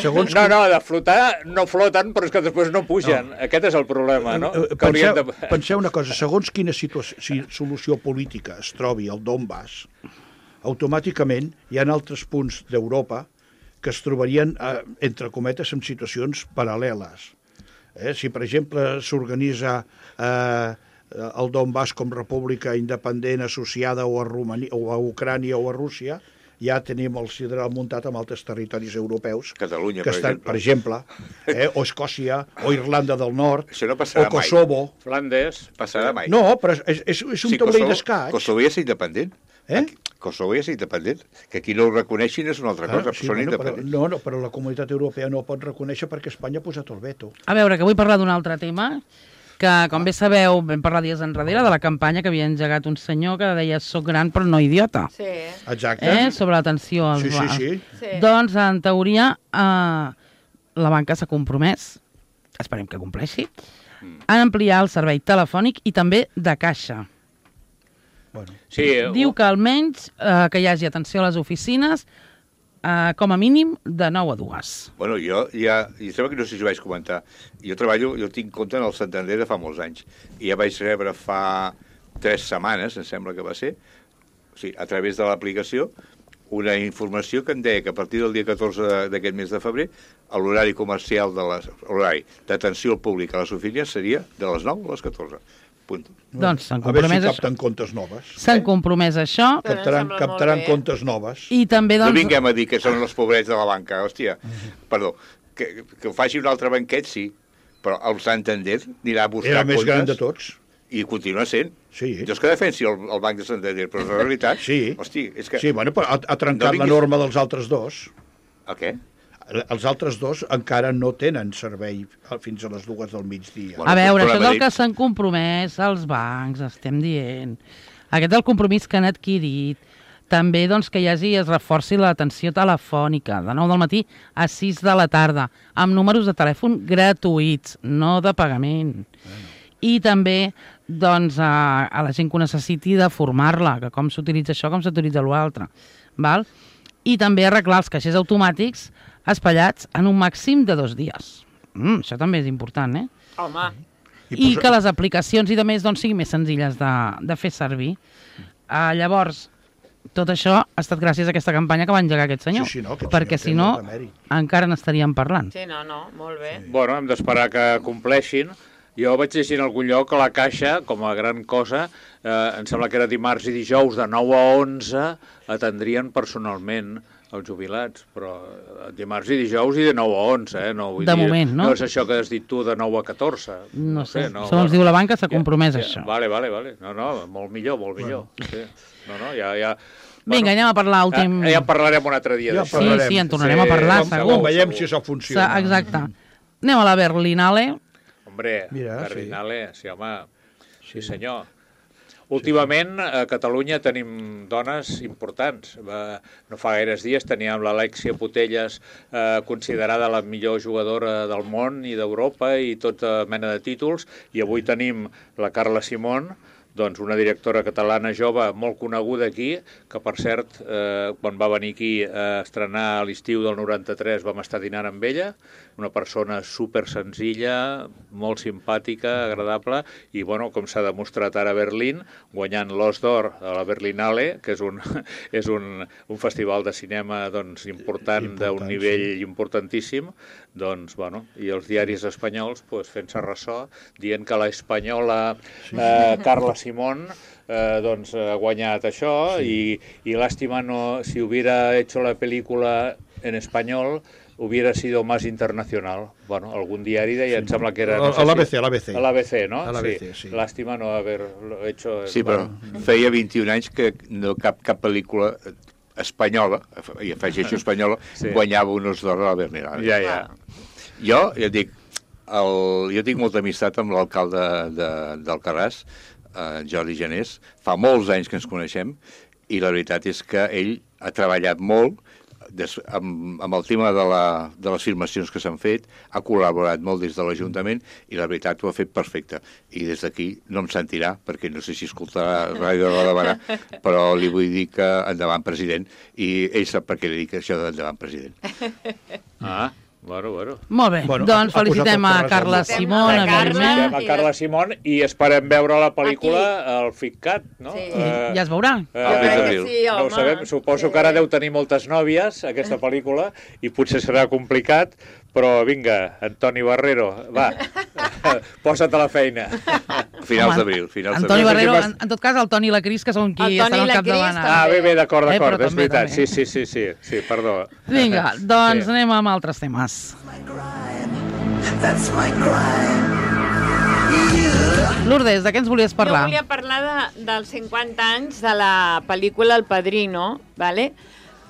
No,
de flotar no floten, però és que després no pugen. Aquest és el problema, no?
Penseu una cosa, segons quina solució política es trobi el Donbass, automàticament hi ha altres punts d'Europa que es trobarien, entre cometes, en situacions paral·leles. Si, per exemple, s'organitza el Donbass com república independent associada o a Ucrània o a Rússia, ja tenim el sideral muntat amb altres territoris europeus.
Catalunya,
per exemple. O Escòcia, o Irlanda del Nord,
o
Kosovo.
Flandes.
Passarà mai.
No, però és un taulell d'escaig.
Kosovo és independent. Kosovo és independent. Que aquí no ho reconeixin és una altra cosa, però són independents.
No, però la comunitat europea no ho pot reconèixer perquè Espanya ha posat el veto.
A veure, que vull parlar d'un altre tema, que, com bé sabeu, vam parlar dies enrere de la campanya que havia engegat un senyor que deia «Soc gran però no idiota».
Sí.
Exacte.
Sobre l'atenció als bars.
Sí.
Doncs, en teoria, la banca s'ha compromès, esperem que compleixi, a ampliar el servei telefònic i també de caixa.
Bueno.
Sí,
diu que almenys que hi hagi atenció a les oficines com a mínim de 9 a 2.
Bueno, jo sembla que no sé si ho vaig comentar. Jo tinc compte en el Santander de fa molts anys. I ja vaig rebre fa 3 setmanes, em sembla que va ser, a través de l'aplicació, una informació que em deia que a partir del dia 14 d'aquest mes de febrer l'horari comercial l'horari d'atenció al públic a les oficines seria de les 9 a les 14.
Doncs s'han
compromès... A veure
si
capten comptes noves.
S'han compromès a això.
Captaran comptes noves.
I també, doncs...
No vinguem a dir que són els pobrets de la banca, hòstia. Perdó, que ho faci un altre banquet, sí, però el Santander anirà a buscar comptes...
Era el més gran de tots.
I continua sent.
Sí.
Jo és que defensi el Banc de Santander, però en realitat...
Sí.
Hosti, és que...
Sí, bueno, però ha trencat la norma dels altres dos.
El què?
Els altres dos encara no tenen servei fins a les 2 del migdia.
A veure, això és el que s'han compromès els bancs, estem dient. Aquest és el compromís que han adquirit. També doncs, que es reforci l'atenció telefònica, de 9 del matí a 6 de la tarda, amb números de telèfon gratuïts, no de pagament. I també doncs, a la gent que ho necessiti de formar-la, que com s'utilitza això, com s'utilitza l'altre. I també arreglar els caixers automàtics espallats en un màxim de 2 dies. Això també és important,
Home.
I que les aplicacions i de més doncs, siguin més senzilles de fer servir. Llavors, tot això ha estat gràcies a aquesta campanya que va engegar aquest senyor.
Sí, no,
perquè si no, encara n'estaríem parlant.
Sí, no, molt bé.
Sí. Bueno, hem d'esperar que compleixin. Jo vaig llegir en algun lloc que la Caixa, com a gran cosa, em sembla que era dimarts i dijous de 9 a 11, atendrien personalment Els jubilats, però dimarts i dijous i de 9 a 11, eh? No,
de moment, no?
No és això que has dit tu de 9 a 14.
No sé, segons diu la banca s'ha compromès això.
Vale. No, molt millor. Sí. No, ja...
Vinga, anem a parlar últim...
Ja en parlarem un altre dia d'això.
Sí, en tornarem a parlar, segur.
Veiem si això funciona.
Exacte. Anem a la Berlinale.
Hombre, Berlinale, sí, home, sí senyor. Últimament, a Catalunya tenim dones importants. No fa gaires dies teníem l'Alexia Putellas, considerada la millor jugadora del món i d'Europa i tota mena de títols, i avui tenim la Carla Simón, doncs una directora catalana jove molt coneguda aquí, que per cert, quan va venir aquí a estrenar a l'estiu del 93 vam estar dinant amb ella, una persona super senzilla, molt simpàtica, agradable, i bueno, com s'ha demostrat ara a Berlín, guanyant l'Os d'Or a la Berlinale, que és un festival de cinema doncs, important d'un nivell importantíssim, doncs, bueno, i els diaris espanyols pues, fent-se ressò, dient que l'espanyola Carla Simón doncs, ha guanyat això i lástima si hubiera hecho la película en español hubiera sido más internacional. Bueno, algun diari deia, em sembla que era... No sé
a
l'ABC, no?
A l'ABC, sí.
Lástima no haver hecho...
Sí, però feia 21 anys que no cap pel·lícula espanyola, i afegeixo espanyola, guanyava un Os d'Or a la Berlinale.
Ja.
Jo dic, jo tinc molta amistat amb l'alcalde d'Alcarràs, Jordi Janés, fa molts anys que ens coneixem, i la veritat és que ell ha treballat molt amb el tema de les filmacions que s'han fet, ha col·laborat molt des de l'Ajuntament i la veritat ho ha fet perfecte. I des d'aquí no em sentirà, perquè no sé si escoltarà Ràdio Roda de Barà, però li vull dir que endavant president, i ell sap per què li dic això d'endavant president.
Bueno.
Molt bé, doncs felicitem a Carla Simón,
felicitem a Carla Simón i esperem veure la pel·lícula al FICCAT, no?
Sí, ja es veurà.
Jo crec que sí, home.
No ho sabem, suposo que ara deu tenir moltes nòvies, aquesta pel·lícula, i potser serà complicat, però vinga, Antoni Barrero, va, posa't a la feina.
Finals d'abril.
Antoni Barrero, en tot cas, el Toni i la Cris, que són qui estan al capdavant.
Bé, d'acord, és veritat. Sí, perdó.
Vinga, doncs anem amb altres temes. Lourdes, de què ens volies parlar?
Jo volia parlar dels 50 anys de la pel·lícula El Padrino, ¿vale?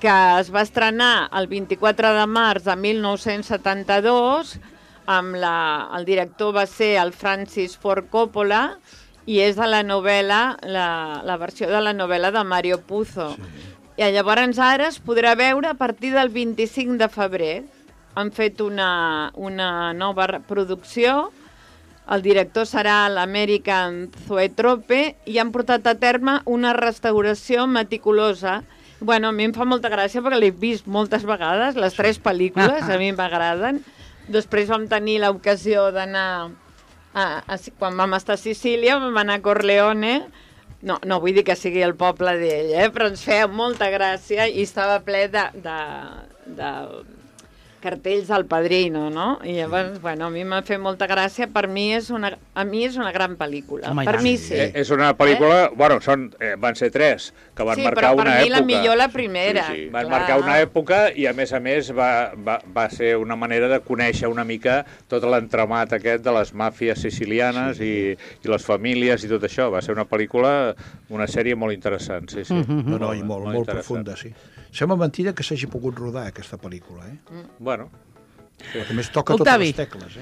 Que es va estrenar el 24 de març de 1972, el director va ser el Francis Ford Coppola, i és de la novel·la, la versió de la novel·la de Mario Puzo. Sí. I llavors ara es podrà veure a partir del 25 de febrer. Han fet una nova producció, el director serà l'American Zoetrope, i han portat a terme una restauració meticulosa. Bueno, a mi em fa molta gràcia perquè l'he vist moltes vegades, les 3 pel·lícules, a mi m'agraden. Després vam tenir l'ocasió d'anar, quan vam estar a Sicília, vam anar a Corleone, no vull dir que sigui el poble d'ell, però ens feia molta gràcia i estava ple de cartells del Padrino, no? I llavors, bueno, a mi m'ha fet molta gràcia. Per mi és una gran pel·lícula. Per mi sí.
És una pel·lícula... Bueno, van ser 3, que van marcar una època.
Sí, però per mi la millor la primera.
Van marcar una època i, a més, va ser una manera de conèixer una mica tot l'entramat aquest de les màfies sicilianes i les famílies i tot això. Va ser una pel·lícula, una sèrie molt interessant, sí.
No, i molt profunda, sí. Sembla mentida que s'hagi pogut rodar aquesta pel·lícula,
Bueno.
A més, toca totes les tecles,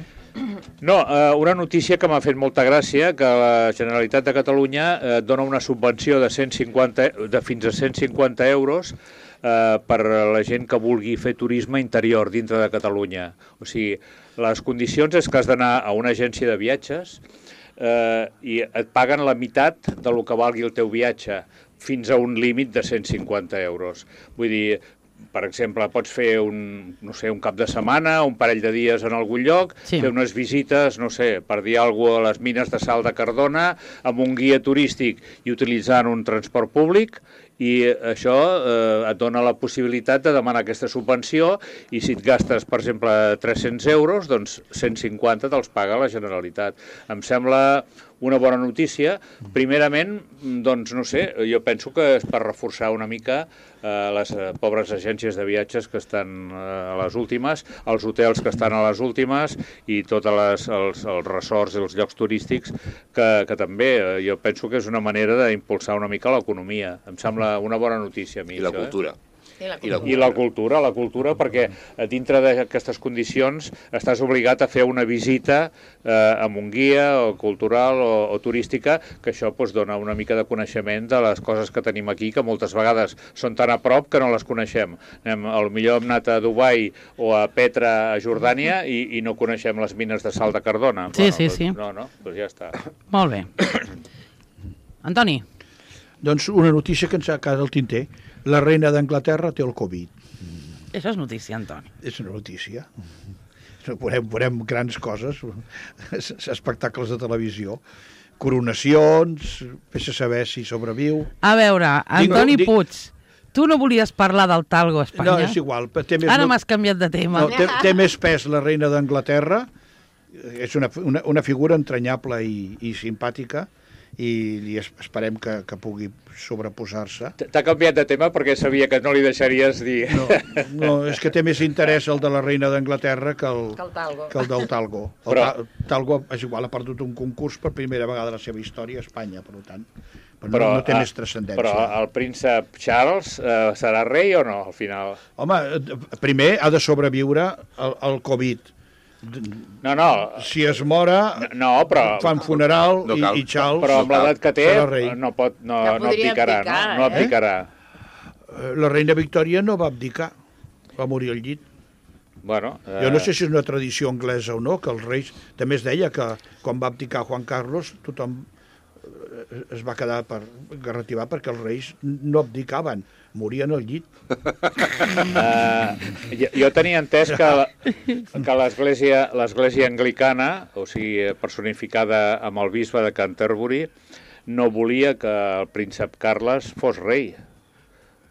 No, una notícia que m'ha fet molta gràcia, que la Generalitat de Catalunya dona una subvenció de fins a 150 euros per a la gent que vulgui fer turisme interior dintre de Catalunya. O sigui, les condicions és que has d'anar a una agència de viatges i et paguen la meitat del que valgui el teu viatge, fins a un límit de 150 euros. Vull dir, per exemple, pots fer un cap de setmana, un parell de dies en algun lloc, fer unes visites, per dir alguna cosa, a les mines de sal de Cardona, amb un guia turístic i utilitzant un transport públic, i això et dona la possibilitat de demanar aquesta subvenció i si et gastes, per exemple, 300 euros, doncs 150 te'ls paga la Generalitat. Em sembla una bona notícia. Primerament, doncs, no sé, jo penso que és per reforçar una mica les pobres agències de viatges que estan a les últimes, els hotels que estan a les últimes i tots els resorts i els llocs turístics que també jo penso que és una manera d'impulsar una mica l'economia. Em sembla una bona notícia a mi.
I la cultura.
I la cultura, perquè dintre d'aquestes condicions estàs obligat a fer una visita amb un guia o cultural o turística, que això dona una mica de coneixement de les coses que tenim aquí, que moltes vegades són tan a prop que no les coneixem. Potser hem anat a Dubai o a Petra, a Jordània, i no coneixem les mines de sal de Cardona.
Sí, sí.
No, doncs ja està.
Molt bé. Antoni.
Doncs una notícia que ens ha quedat al tinter. La reina d'Anglaterra té el Covid.
Això és notícia, Antoni.
És una notícia. Veurem grans coses, espectacles de televisió, coronacions, fes saber si sobreviu.
A veure, Antoni Puig, tu no volies parlar del talgo a Espanya?
No, és igual.
Ara m'has canviat de tema.
No, té més pes la reina d'Anglaterra, és una figura entranyable i simpàtica, i esperem que pugui sobreposar-se.
T'ha canviat de tema perquè sabia que no li deixaries dir.
No, és que té més interès el de la reina d'Anglaterra que el del talgo. Talgo, és igual, ha perdut un concurs per primera vegada a la seva història a Espanya, per tant, no té més transcendència.
Però el príncep Charles serà rei o no, al final?
Home, primer ha de sobreviure el Covid.
No.
Si es mora, fan funeral i Charles...
Però amb l'edat que té no abdicarà.
La reina Victòria no va abdicar, va morir al llit. Jo no sé si és una tradició anglesa o no, que els reis... També es deia que quan va abdicar Juan Carlos tothom es va quedar garrativar perquè els reis no abdicaven, morien al llit.
Jo tenia entès que l'església anglicana, o sigui, personificada amb el bisbe de Canterbury, no volia que el príncep Carles fos rei.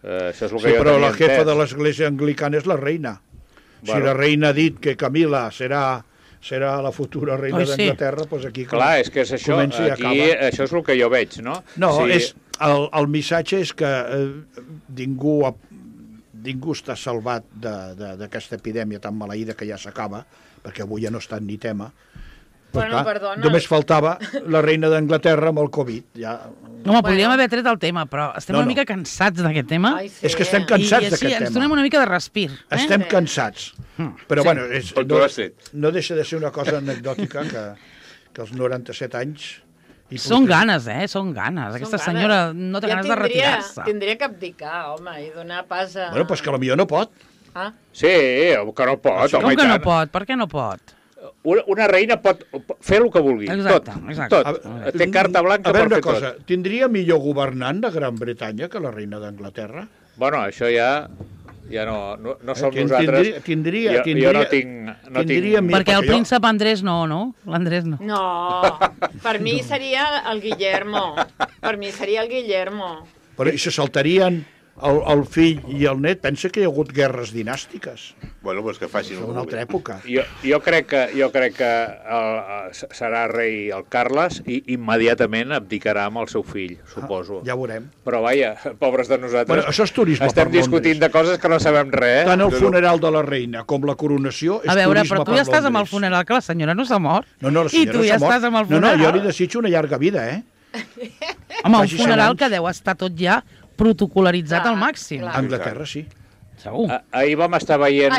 Això és el que jo tenia entès.
Però la jefa de l'església anglicana és la reina. Si la reina ha dit que Camila serà la futura reina d'Anglaterra, doncs aquí
és que és això, aquí això és el que jo veig, no?
No, el missatge és que ningú està salvat d'aquesta epidèmia tan maleïda que ja s'acaba, perquè avui ja no està ni tema.
Perdona.
Només faltava la reina d'Anglaterra amb el Covid.
Home, podríem haver tret el tema, però estem una mica cansats d'aquest tema.
És que estem cansats d'aquest tema.
I així ens donem una mica de respir.
Estem cansats. Però, no deixa de ser una cosa anecdòtica que als 97 anys...
Són ganes, són ganes. Aquesta senyora no té ganes de retirar-se.
Tindria que abdicar, home, i donar pas a...
Bueno, doncs que potser no pot.
Sí, que no pot.
Com que no pot? Per què no pot?
Una reina pot fer el que vulgui. Tot. Té carta blanca per fer tot. A veure una cosa,
tindria millor governant de Gran Bretanya que la reina d'Anglaterra?
Bueno, això ja no som nosaltres. Jo no tinc...
Perquè el príncep Andrés no? L'Andrés no.
No, per mi seria el Guillermo.
Però i se saltarien el fill i el net? Pensa que hi ha hagut guerres dinàstiques.
Bueno, doncs que facin
una altra època.
Jo crec que serà rei el Carles i immediatament abdicarà amb el seu fill, suposo.
Ja veurem.
Però vaja, pobres de nosaltres.
Bueno, això és turisme
estem discutint de coses que no sabem res.
Tant el funeral de la reina com la coronació és turisme per Londres. A veure,
però tu ja estàs amb el funeral, que la senyora no s'ha mort.
No, la senyora
i tu ja estàs amb el funeral.
No, jo li desitjo una llarga vida,
Home, un funeral que deu estar tot ja protocolaritzat al màxim.
A Anglaterra, sí.
Segur.
Ahir vam estar veient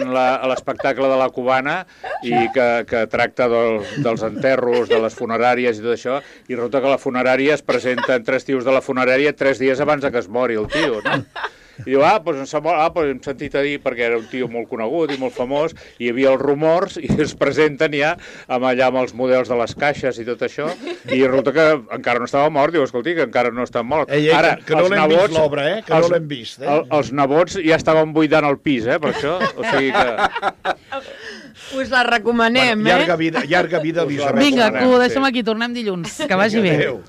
l'espectacle de la Cubana i que tracta dels enterros, de les funeràries i tot això, i resulta que la funerària es presenten 3 tios de la funerària 3 dies abans que es mori el tio, no? I diu, hem sentit a dir, perquè era un tio molt conegut i molt famós, i hi havia els rumors, i es presenten ja amb els models de les caixes i tot això, i resulta que encara no estava mort, diu, escolti, que encara no està mort.
Ara, que no l'hem vist l'obra, que no l'hem vist.
Els nebots ja estaven buidant el pis, per això, o sigui que...
Us la recomanem,
Llarga vida, Elisabet.
Vinga, que ho deixem aquí, tornem dilluns. Que vagi bé.
Adéu.